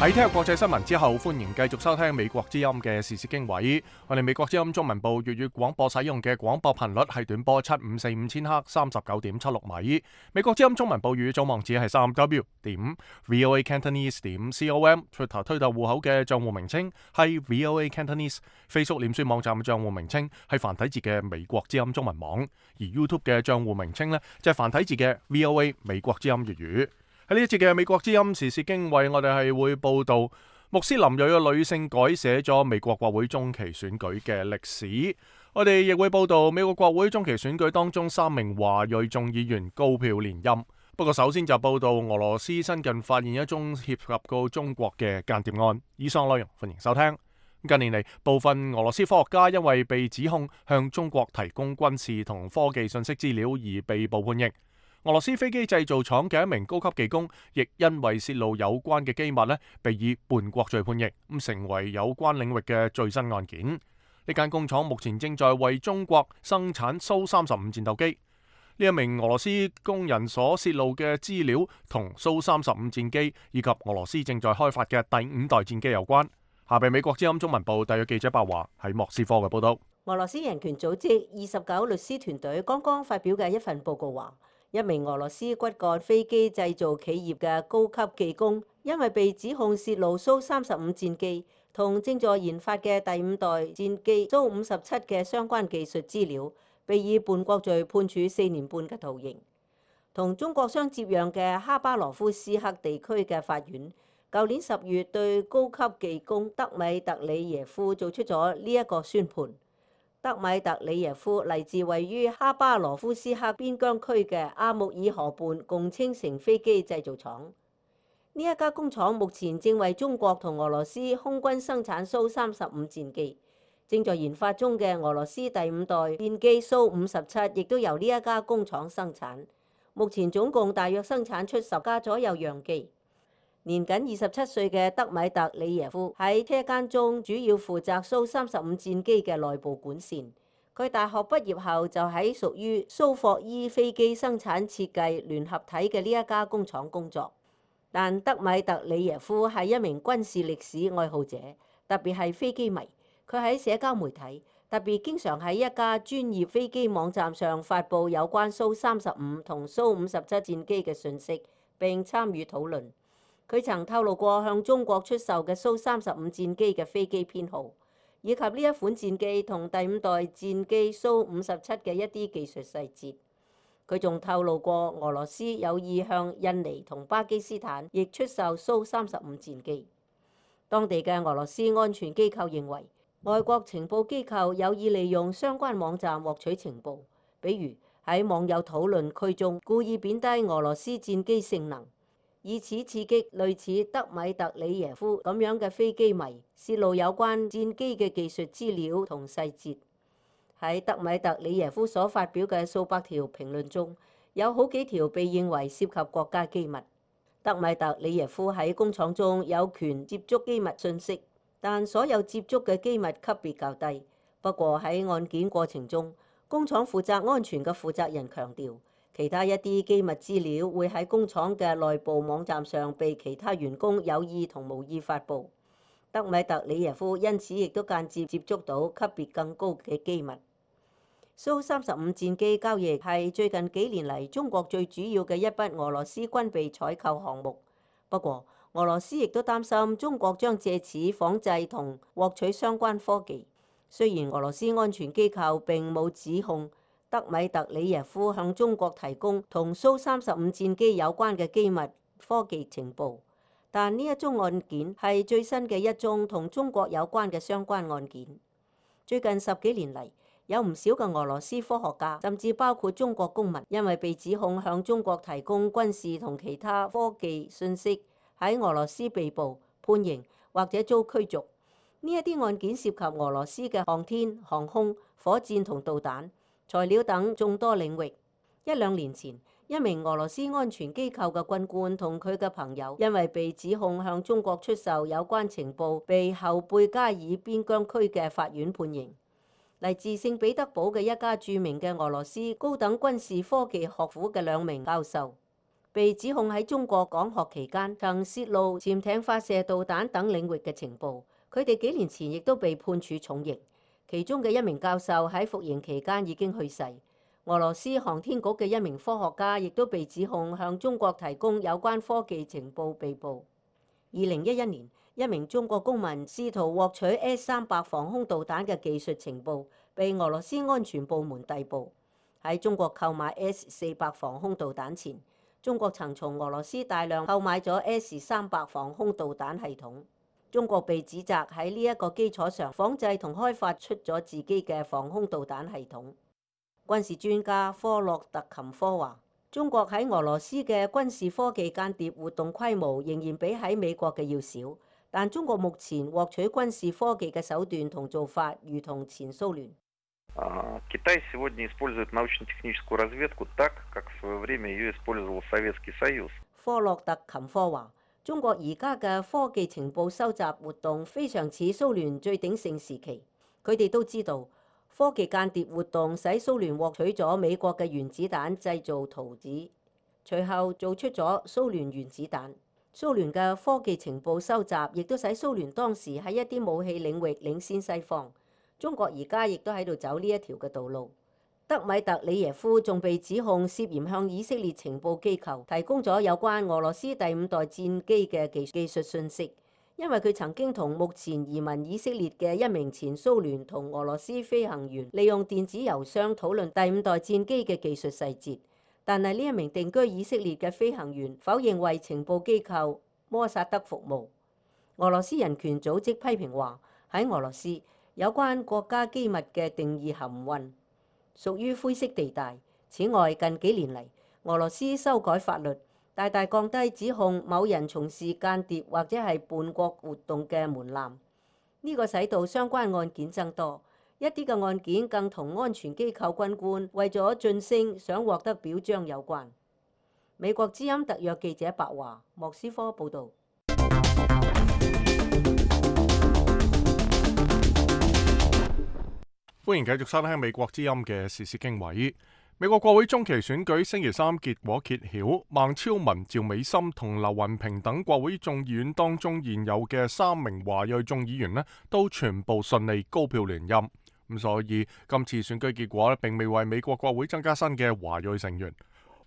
喺聽日國際新聞之後，歡迎繼續收聽美國之音嘅時事經緯。我哋美國之音中文部粵語廣播使用嘅廣播頻率係短波7545千赫39.76米。美國之音中文部粵語總網址係3w.voacantonese.com。Twitter 推特戶口嘅賬戶名稱係 VOA Cantonese。Facebook 臉書網站嘅賬戶名稱係繁體字嘅美國之音中文網。而 YouTube 嘅賬戶名稱呢，就係繁體字嘅 VOA 美國之音粵語。喺呢一節嘅美國之音時事經緯，我哋係會報道穆斯林裔嘅女性改寫咗美國國會中期選舉嘅歷史。我哋亦會報道美國國會中期選舉當中3名華裔眾議員高票連任。不過首先就報道俄羅斯新近發現一宗涉及到中國嘅間諜案。以上內容歡迎收聽。近年嚟，部分俄羅斯科學家因為被指控向中國提供軍事同科技信息資料而被捕判刑。俄羅斯飛機製造廠嘅一名高級技工，亦因為泄露有關嘅機密被以叛國罪判刑，成為有關領域嘅最新案件。呢間工廠目前正在為中國生產蘇35戰鬥機。呢一名俄羅斯工人所泄露嘅資料同蘇35戰機以及俄羅斯正在開發嘅第5代戰機有關。下邊美國之音中文部特約記者白華喺莫斯科嘅報道。俄羅斯人權組織29律師團隊剛剛發表嘅一份報告話，一名俄羅斯骨幹飛機製造企業嘅高級技工，因為被指控泄露蘇35戰機同正在研發嘅第5代戰機蘇57嘅相關技術資料，被以叛國罪判處4年半嘅徒刑。同中國相接壤嘅哈巴羅夫斯克地區嘅法院，舊年10月對高級技工德米特里耶夫做出咗呢一個宣判。德米特里耶夫嚟自位於哈巴羅夫斯克邊疆區嘅阿穆爾河畔共青城飛機製造廠。呢一家工廠目前正為中國同俄羅斯空軍生產蘇35戰機，正在研發中嘅俄羅斯第5代戰機蘇57亦都由呢一家工廠生產。目前總共大約生產出10架左右樣機。年僅27歲嘅德米特里耶夫喺車間中主要負責蘇35戰機嘅內部管線。佢大學畢業後就喺屬於蘇霍伊飛機生產設計聯合體嘅呢一家工廠工作。但德米特里耶夫係一名軍事歷史愛好者，特別係飛機迷。佢喺社交媒體，特別經常喺一家專業飛機網站上發布有關蘇35同蘇57戰機嘅信息，並參與討論。佢曾透露過向中國出售嘅蘇35戰機嘅飛機編號，以及呢一款戰機同第5代戰機蘇57嘅一啲技術細節。佢仲透露過俄羅斯有意向印尼同巴基斯坦亦出售蘇35戰機。當地嘅俄羅斯安全機構認為，外國情報機構有意利用相關網站獲取情報，比如喺網友討論區中故意貶低俄羅斯戰機性能，以此刺激類似德米特里耶夫咁樣嘅飛機迷，泄露有關戰機嘅技術資料同細節。喺德米特里耶夫所發表嘅數百條評論中，有好幾條被認為涉及國家機密。德米特里耶夫喺工廠中有權接觸機密信息，但所有接觸嘅機密級別較低。不過喺案件過程中，工廠負責安全嘅負責人強調，其他一啲機密資料會喺工廠嘅內部網站上被其他員工有意同無意發布。德米特里耶夫因此亦都間接接觸到級別更高嘅機密。蘇35戰機交易係最近幾年嚟中國最主要嘅一筆俄羅斯軍備採購項目。不過，俄羅斯亦都擔心中國將借此仿製同獲取相關科技。雖然俄羅斯安全機構並冇指控德米特里耶夫向中國提供同蘇35戰機有關嘅機密科技情報，但呢一宗案件係最新嘅一宗同中國有關嘅相關案件。最近10幾年嚟，有唔少嘅俄羅斯科學家，甚至包括中國公民，因為被指控向中國提供軍事同其他科技信息，喺俄羅斯被捕、判刑或者遭驅逐。呢一啲案件涉及俄羅斯嘅航天、航空、火箭同導彈、材料等眾多領域。1、2年前，一名俄羅斯安全機構嘅軍官同佢嘅朋友，因為被指控向中國出售有關情報，被後貝加爾邊疆區嘅法院判刑。嚟自聖彼得堡嘅一家著名嘅俄羅斯高等軍事科技學府嘅2名教授，被指控喺中國講學期間曾泄露潛艇發射導彈等領域嘅情報。佢哋幾年前亦都被判處重刑，其中嘅1名教授喺服刑期間已經去世。俄羅斯航天局嘅1名科學家亦都被指控向中國提供有關科技情報被捕。2011年，一名中國公民試圖獲取 S-300防空導彈嘅技術情報，被俄羅斯安全部門逮捕。喺中國購買 S-400防空導彈前，中國曾從俄羅斯大量購買咗 S-300防空導彈系統。中國被指責喺呢一個基礎上仿製同開發出咗自己嘅防空導彈系統。軍事專家科洛特琴科話：中國喺俄羅斯嘅軍事科技間諜活動規模仍然比喺美國嘅要少，但中國目前獲取軍事科技嘅手段同做法，如同前蘇聯。Китай сегодня использует научно-техническую разведку так, как в свое время ее использовал Советский Союз。科洛特琴科話：中國而家嘅科技情報收集活動非常似蘇聯最鼎盛時期。佢哋都知道，科技間諜活動使蘇聯獲取咗美國嘅原子彈製造圖紙，隨後做出咗蘇聯原子彈。蘇聯嘅科技情報收集亦都使蘇聯當時喺一啲武器領域領先西方。中國而家亦都喺度走呢一條嘅道路。德米特里耶夫仲被指控涉嫌向以色列情報機構提供咗有關俄羅斯第5代戰機嘅技術信息，因為佢曾經同目前移民以色列嘅一名前蘇聯同俄羅斯飛行員利用電子郵箱討論第5代戰機嘅技術細節，但係呢一名定居以色列嘅飛行員否認為情報機構摩薩德服務。俄羅斯人權組織批評話，喺俄羅斯有關國家機密嘅定義含混，屬於灰色地帶。此外，近幾年嚟，俄羅斯修改法律，大大降低指控某人從事間諜或者係叛國活動嘅門檻。呢個使到相關案件增多，一啲嘅案件更同安全機構軍官為咗晉升想獲得表彰有關。美國之音特約記者白華，莫斯科報導。歡迎繼續收聽美國之音嘅時事經緯。美國國會中期選舉星期3結果揭曉，孟超文、趙美心同劉雲平等國會眾議院當中現有嘅3名華裔眾議員都全部順利高票連任。咁所以今次選舉結果並未為美國國會增加新嘅華裔成員。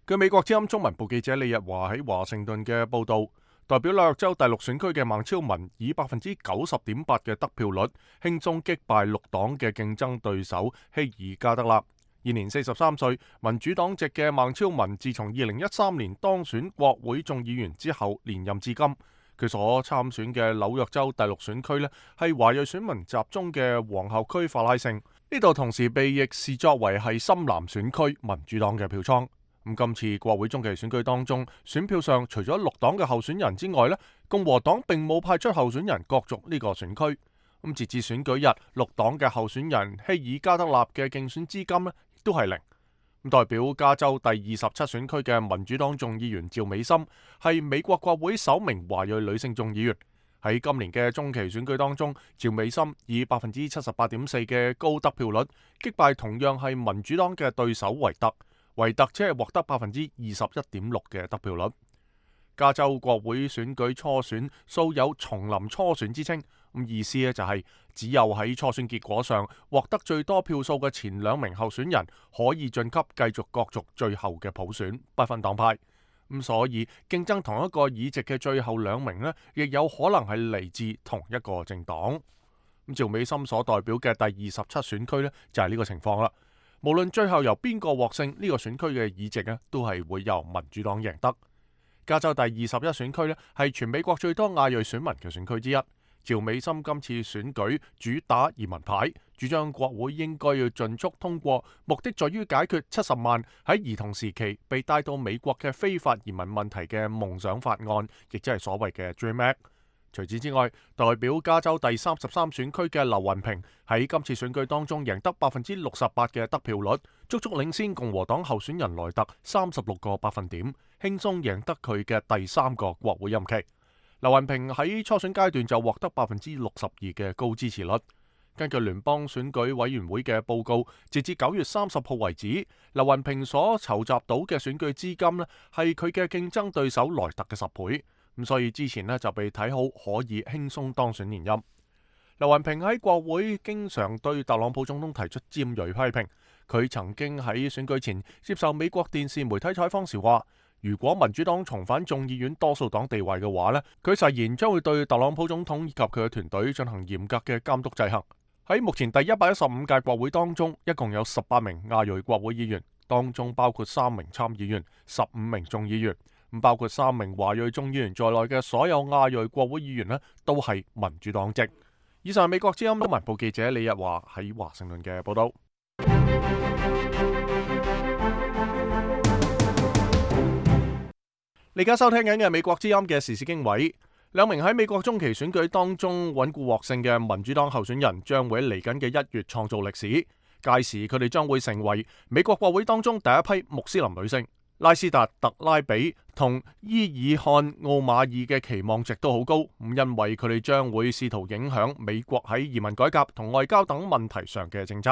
據美國之音中文部記者李日華喺華盛頓嘅報導，代表紐約州第6選區嘅孟超文以 90.8% 嘅得票率輕鬆擊敗綠黨嘅競爭對手希爾加德納。現年43歲，民主黨籍嘅孟超文自從2013年當選國會眾議員之後連任至今。佢所參選嘅紐約州第6選區係華裔選民集中嘅皇后區法拉盛，呢度同時被亦視作為係深藍選區民主黨嘅票倉。咁今次國會中期選舉當中，選票上除咗綠黨嘅候選人之外，共和黨並冇派出候選人角逐呢個選區。咁截至選舉日，綠黨嘅候選人希爾加德納嘅競選資金亦都係0。代表加州第27選區嘅民主黨眾議員趙美心係美國國會首名華裔女性眾議員。喺今年嘅中期選舉當中，趙美心以 78.4% 嘅高得票率擊敗同樣係民主黨嘅對手維特。維特只係獲得 21.6% 嘅得票率。加州國會選舉初選素有叢林初選之稱，咁意思就係只有喺初選結果上獲得最多票數嘅前2名候選人可以晉級繼續角逐最後嘅普選，不分黨派。咁所以競爭同一個議席嘅最後2名亦有可能係嚟自同一個政黨。咁趙美心所代表嘅第27選區就係呢個情況啦。無論最後由邊個獲勝，呢個選區嘅議席都係會由民主黨贏得。加州第21選區呢係全美國最多亞裔選民嘅選區之一。趙美心今次選舉主打移民牌，主張國會應該要盡速通過，目的在於解決70萬喺兒童時期被帶到美國嘅非法移民問題嘅夢想法案，亦即係所謂嘅 Dream Act。除此之外，代表加州第33選區嘅劉雲平喺今次選舉當中贏得68%嘅得票率，足足領先共和黨候選人萊特36個百分點，輕鬆贏得佢嘅第3個國會任期。劉雲平喺初選階段就獲得62%嘅高支持率。根據聯邦選舉委員會嘅報告，截至9月30號為止，劉雲平所籌集到嘅選舉資金呢係佢嘅競爭對手萊特嘅10倍。咁所以之前呢就被睇好可以輕鬆當選連任。劉雲平喺國會經常對特朗普總統提出尖銳批評。佢曾經喺選舉前接受美國電視媒體採訪時話，如果民主黨重返眾議院多數黨地位嘅話呢，佢誓言將會對特朗普總統以及佢嘅團隊進行嚴格嘅監督制衡。喺目前第115屆國會當中，一共有18名亞裔國會議員，當中包括3名參議員、15名眾議員。包括3名華裔眾議員在內嘅所有亞裔國會議員呢，都係民主黨籍。以上係美國之音新聞部記者李日華喺華盛頓嘅報道。你而家收聽緊嘅美國之音嘅時事經緯，兩名喺美國中期選舉當中穩固獲勝嘅民主黨候選人將會喺嚟緊嘅1月創造歷史，屆時佢哋將會成為美國國會當中第一批穆斯林女性。拉斯達特拉比同伊爾漢奧馬爾嘅期望值都好高，因為佢哋將會試圖影響美國喺移民改革同外交等問題上嘅政策。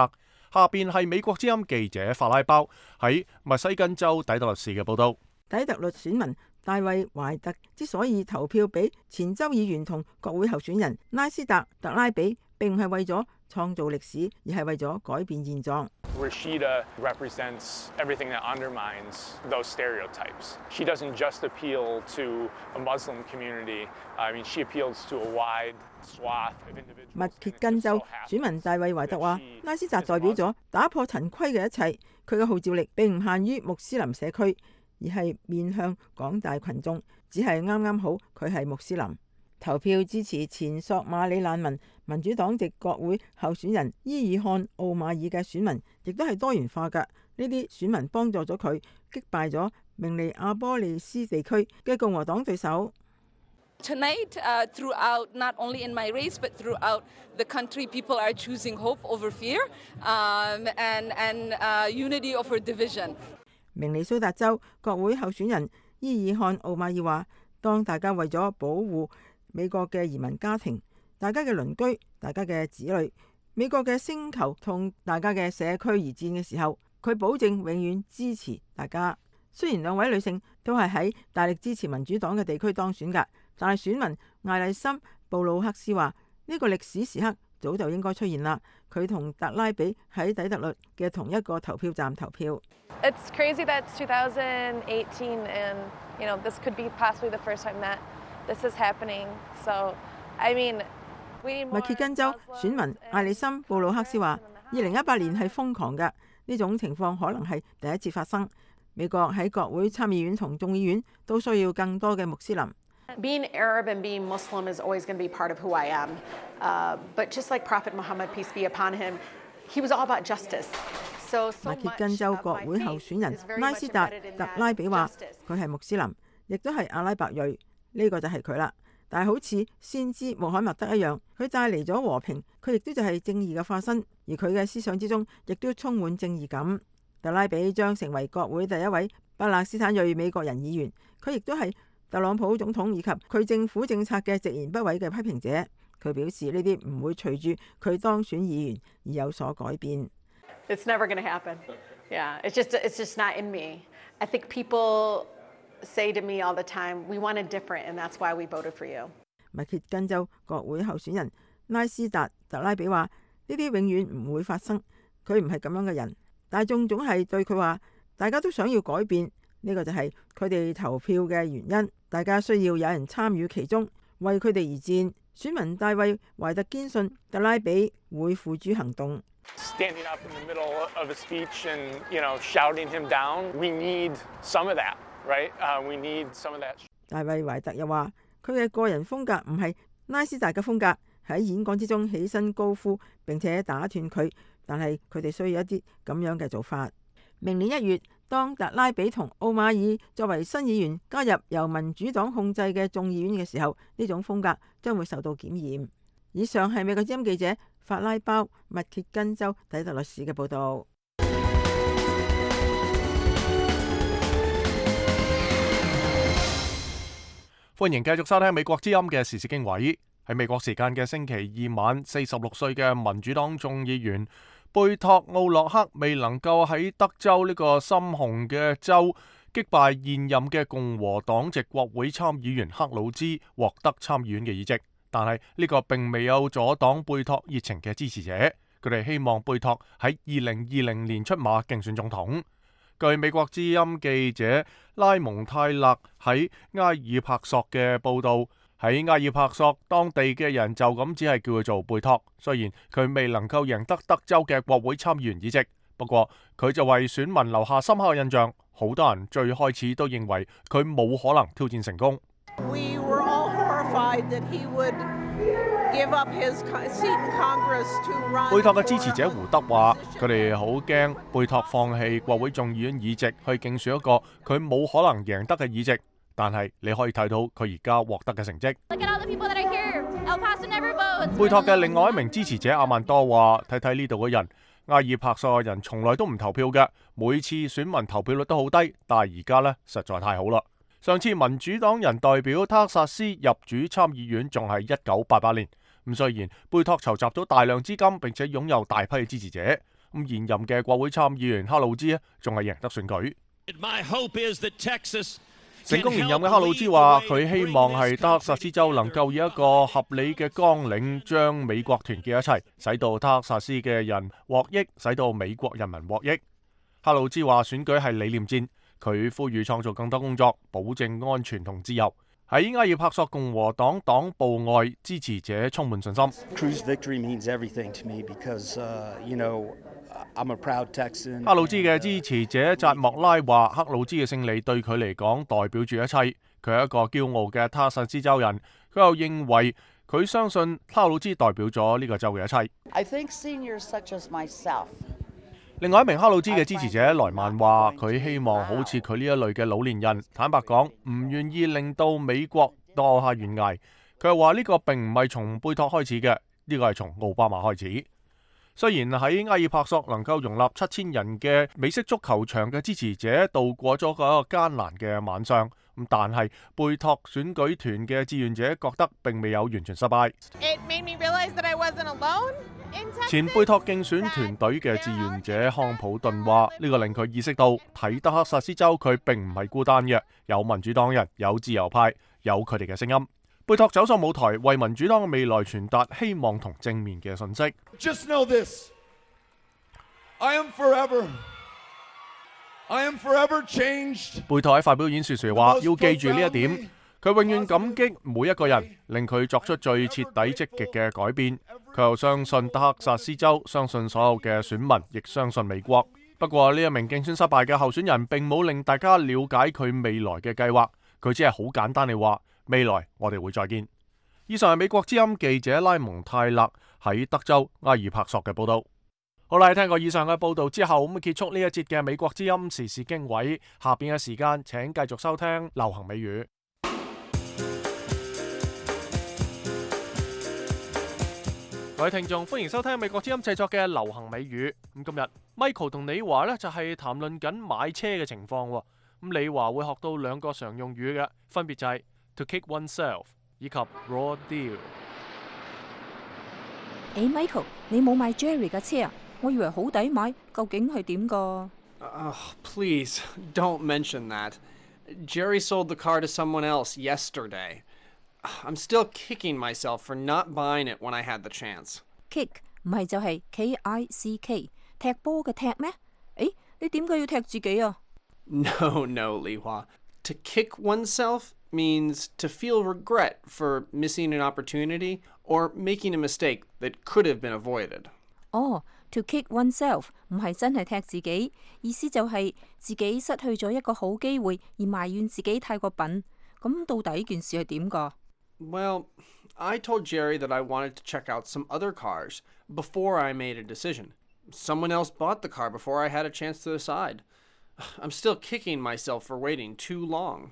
下邊係美國之音記者法拉包喺密西根州底特律市嘅報道。底特律選民大衛懷特之所以投票俾前州議員同國會候選人拉斯達特拉比，並唔係為咗創造歷史，而係為咗改變現狀。Rashida represents everything that undermines those stereotypes. She doesn't just appeal to a Muslim community. I mean, she appeals to a wide swath of individuals. 密歇根州選民大衛懷特話：拉斯達代表咗打破陳規嘅一切，佢嘅號召力並唔限於穆斯林社區，而係面向廣大群眾，只係啱啱好佢係穆斯林。投票支持前索馬里難民民主黨籍國會候選人伊爾漢奧馬爾嘅選民，亦都係多元化㗎。呢啲選民幫助咗佢擊敗咗明尼阿波利斯地區嘅共和黨對手。Tonight, throughout, not only in my race, but throughout the country, people are choosing hope over fear, and unity over division. 明尼蘇達州國會候選人伊爾漢奧馬爾話：當大家為咗保護美國嘅移民家庭、大家嘅鄰居、大家嘅子女、美國嘅星球同大家嘅社區而戰嘅時候，佢保證永遠支持大家。雖然兩位女性都係喺大力支持民主黨嘅地區當選㗎，但係選民艾麗森布魯克斯話：呢個歷史時刻早就應該出現啦。佢同特拉比喺底特律嘅同一個投票站投票。It's crazy that it's 2018 and you know this could be possibly the first time that this is happening. So, I mean, 密歇根州選民艾利森布魯克斯話：2018年係瘋狂㗎，呢種情況可能係第一次發生。美國喺國會參議院同眾議院都需要更多嘅穆斯林。Being Arab and being Muslim is always going to be part of who I am. But just like Prophet Muhammad, peace be upon him, he was all about justice. 密歇根州國會候選人拉斯達特拉比話：佢係穆斯林，亦都係阿拉伯裔。呢個就係佢啦，但係好似先知穆罕默德一樣，佢帶嚟咗和平，佢亦都就係正義嘅化身，而佢嘅思想之中亦都充滿正義感。特拉比將成為國會第一位巴勒斯坦裔美國人議員，佢亦都係特朗普總統以及佢政府政策嘅直言不諱嘅批評者。佢表示呢啲唔會隨住佢當選議員而有所改變。It's never going to happen. Yeah, it's just not in me. I think people say to me all the time, we want it different, and that's why we voted for you. 密歇根州國會候選人拉斯達特拉比話：呢啲永遠唔會發生，佢唔係咁樣嘅人。大眾總係對佢話，大家都想要改變，呢個就係佢哋投票嘅原因。大家需要有人參與其中，為佢哋而戰。選民大衛懷特堅信特拉比會付諸行動。Standing up in the middle of a speech and, you know, shouting him down, we need some of that. right? We need some of that. 大衛懷特又話：佢嘅個人風格唔係拉斯達嘅風格，喺演講之中起身高呼並且打斷佢，但係佢哋需要一啲咁樣嘅做法。明年1月，當特拉比同奧馬爾作為新議員加入由民主黨控制嘅眾議院嘅時候，呢種風格將會受到檢驗。以上係美國之音記者法拉包密歇根州底特律市嘅報導。歡迎繼續收聽美國之音嘅時事經緯。喺美國時間嘅星期二晚，46歲嘅民主黨眾議員貝托奧洛克未能夠喺德州呢個深紅嘅州擊敗現任嘅共和黨籍國會參議員克魯茲獲得參議院嘅議席，但係呢個並未有阻擋貝托熱情嘅支持者，佢哋希望貝托喺2020年出馬競選總統。據美國之音記者拉蒙泰勒喺埃爾帕索嘅報導，喺埃爾帕索當地嘅人就咁只係叫佢做貝托，雖然佢未能夠贏得德州嘅國會參議員議席，不過佢就為選民留下深刻嘅印象。好多人最開始都認為佢冇可能挑戰成功。We were all horrified that he would give up his seat in Congress to run. 貝托嘅支持者胡德話：佢哋好驚貝托放棄國會眾議院議席去競選一個佢冇可能贏得嘅議席，但係你可以睇到佢而家獲得嘅成績。貝托嘅另外一名支持者阿曼多話：睇睇呢度嘅人，埃爾帕索嘅人從來都唔投票嘅，每次選民投票率都好低，但係而家呢，實在太好啦。上次民主黨人代表德克薩斯入主參議院仲係1988年，咁雖然貝托籌集咗大量資金並且擁有大批嘅支持者，咁現任嘅國會參議員克魯茲仲係贏得選舉。成功連任嘅克魯茲話：佢希望係德克薩斯州能夠以一個合理嘅綱領將美國團結一齊，使到德克薩斯嘅人獲益，使到美國人民獲益。克魯茲話選舉係理念戰，佢呼籲創造更多工作，保證安全同自由。喺埃爾帕索共和黨黨部外，支持者充滿信心。克魯茲嘅支持者扎莫拉話：克魯茲嘅勝利對佢嚟講代表住一切，佢係一個驕傲嘅德克薩斯州人。佢又認為佢相信克魯茲代表咗呢個州嘅一切。另外一名克魯茲嘅支持者萊曼話：佢希望好似佢呢一類嘅老年人，坦白講唔願意令到美國墮下懸崖。佢又話呢個並唔係從貝托開始嘅，呢個係從奧巴馬開始。雖然喺埃爾帕索能夠容納7000人嘅美式足球場嘅支持者度過咗一個艱難嘅晚上，但係貝托選舉團嘅志願者覺得並未有完全失敗。前貝托競選團隊嘅志願者康普頓話：呢個令佢意識到睇德克薩斯州佢並唔係孤單嘅，有民主黨人，有自由派，有佢哋嘅聲音。貝托走上舞台，為民主黨嘅未來傳達希望同正面嘅信息。Just know this. I am forever changed. 貝托喺發表演說時話：要記住呢一點，佢永遠感激每一個人，令佢作出最徹底積極嘅改變。佢又相信德克薩斯州，相信所有嘅選民，亦相信美國。不過呢一名競選失敗嘅候選人並冇令大家了解佢未來嘅計劃，佢只係好簡單地話：未來我哋會再見。以上係美國之音記者拉蒙泰勒喺德州埃爾帕索嘅報道。好啦，聽過以上嘅報道之後，咁結束呢一節嘅美國之音時事經緯。下邊嘅時間請繼續收聽流行美語。各位聽眾，歡迎收聽美國之音製作嘅流行美語。咁今日 Michael 同李華呢就係談論緊買車嘅情況。咁李華會學到2個常用語嘅，分別就係 to kick oneself 以及 raw deal。Michael， 你冇買 Jerry 嘅車啊？我以為好抵買，究竟係點㗎？Please don't mention that. Jerry sold the car to someone else yesterday. I'm still kicking myself for not buying it when I had the chance. Kick 唔係就係 K-I-C-K 踢波嘅踢咩？你點解要踢自己啊？No, Li Hua. To kick oneself means to feel regret for missing an opportunity or making a mistake that could have been avoided. To kick oneself 唔係真係踢自己，意思就係自己失去咗一個好機會而埋怨自己太過笨。咁到底件事係點㗎？ Well, I told Jerry that I wanted to check out some other cars before I made a decision. Someone else bought the car before I had a chance to decide. I'm still kicking myself for waiting too long.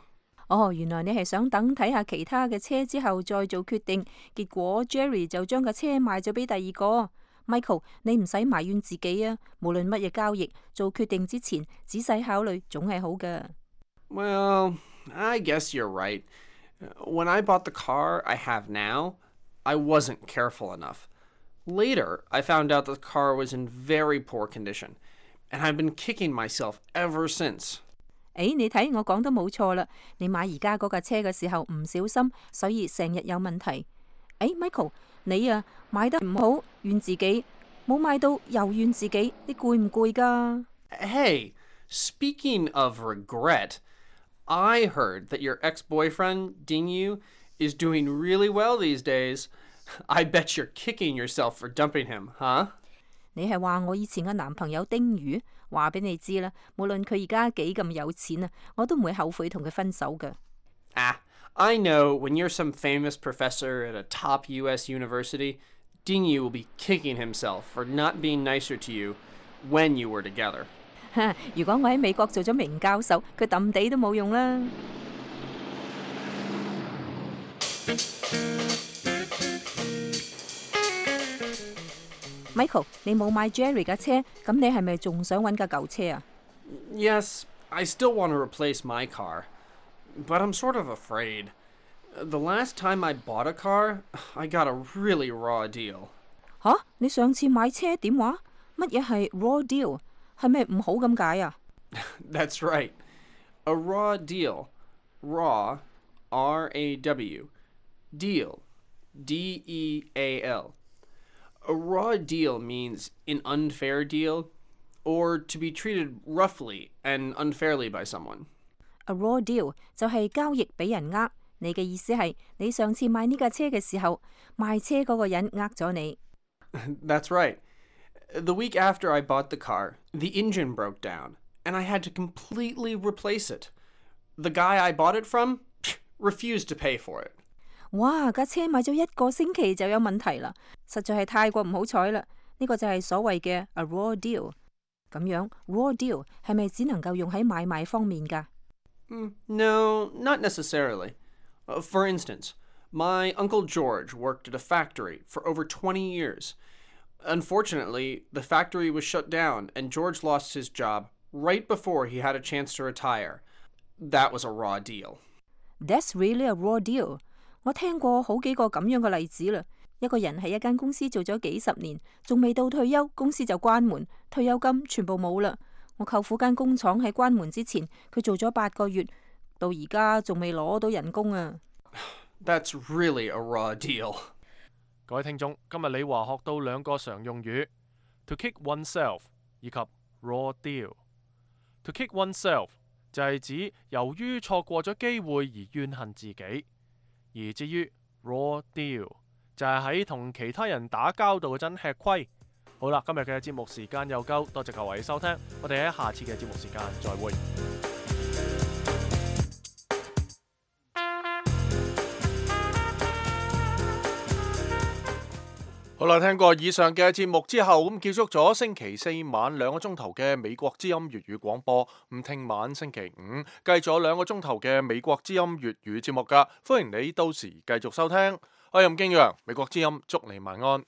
哦，原來你係想等睇下其他嘅車之後再做決定，結果 Jerry 就將架車賣咗俾第二個。Michael， 你唔使埋怨自己啊！無論乜嘢交易，做決定之前仔細考慮總係好嘅。Well, I guess you're right. When I bought the car I have now, I wasn't careful enough. Later, I found out the car was in very poor condition, and I've been kicking myself ever since. 你睇我講得冇錯啦！你買而家嗰架車嘅時候唔小心，所以成日有問題。Michael， 你啊買得唔好，怨自己；冇買到又怨自己，你攰唔攰㗎？ Hey, speaking of regret, I heard that your ex-boyfriend, Dingyu, is doing really well these days. I bet you're kicking yourself for dumping him, huh? 你係話我以前嘅男朋友丁宇？話俾你知啦，無論佢而家幾咁有錢啊，我都唔會後悔同佢分手嘅。I know when you're some famous professor at a top US university, Dingyu will be kicking himself for not being nicer to you when you were together. 如果我喺美國做咗名教授，佢揼地都冇用啦。Michael， 你冇買 Jerry 架車，咁你係咪仲想揾架舊車啊？ Yes, I still want to replace my car, but I'm sort of afraid. The last time I bought a car, I got a really raw deal. 吓？你上次買車點話？乜嘢係 raw deal？ 係咪唔好咁解啊？ That's right. A raw deal. Raw, R-A-W. Deal, D-E-A-L. A raw deal means an unfair deal, or to be treated roughly and unfairly by someone. A raw deal 就係交易俾人呃，你嘅意思係你上次買呢架車嘅時候，賣車嗰個人呃咗你。That's right. The week after I bought the car, the engine broke down, and I had to completely replace it. The guy I bought it from refused to pay for it. 哇！架車買咗1個星期就有問題啦，實在係太過唔好彩啦！呢個就係所謂嘅 a raw deal。咁樣 raw deal 係咪只能夠用喺買賣方面㗎？No, not necessarily. For instance, my Uncle George worked at a factory for over 20 years. Unfortunately, the factory was shut down, and George lost his job right before he had a chance to retire. That was a raw deal. That's really a raw deal. 我聽過好幾個咁樣嘅例子啦。一個人喺一間公司做咗幾十年，仲未到退休，公司就關門，退休金全部冇啦。我舅父間工廠喺關門之前，佢做咗8個月，到而家仲未攞到人工啊。That's really a raw deal. 各位聽眾，今日李華學到2個常用語 ：to kick oneself 以及 raw deal。to kick oneself 就係指由於錯過咗機會而怨恨自己。而至於 raw deal 就係喺同其他人打交道嗰陣吃虧。好啦，今日嘅節目時間又夠，多謝各位收聽，我哋喺下次嘅節目時間再會。好啦，聽過以上嘅節目之後，咁結束咗星期4晚2個鐘頭嘅美國之音粵語廣播。咁聽晚星期5繼續2個鐘頭嘅美國之音粵語節目㗎，歡迎你到時繼續收聽。我係任敬陽，美國之音，祝你晚安。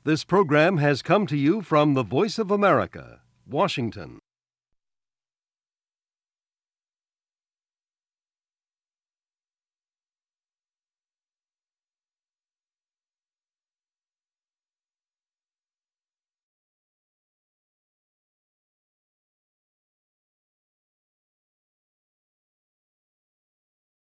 This program has come to you from the Voice of America, Washington.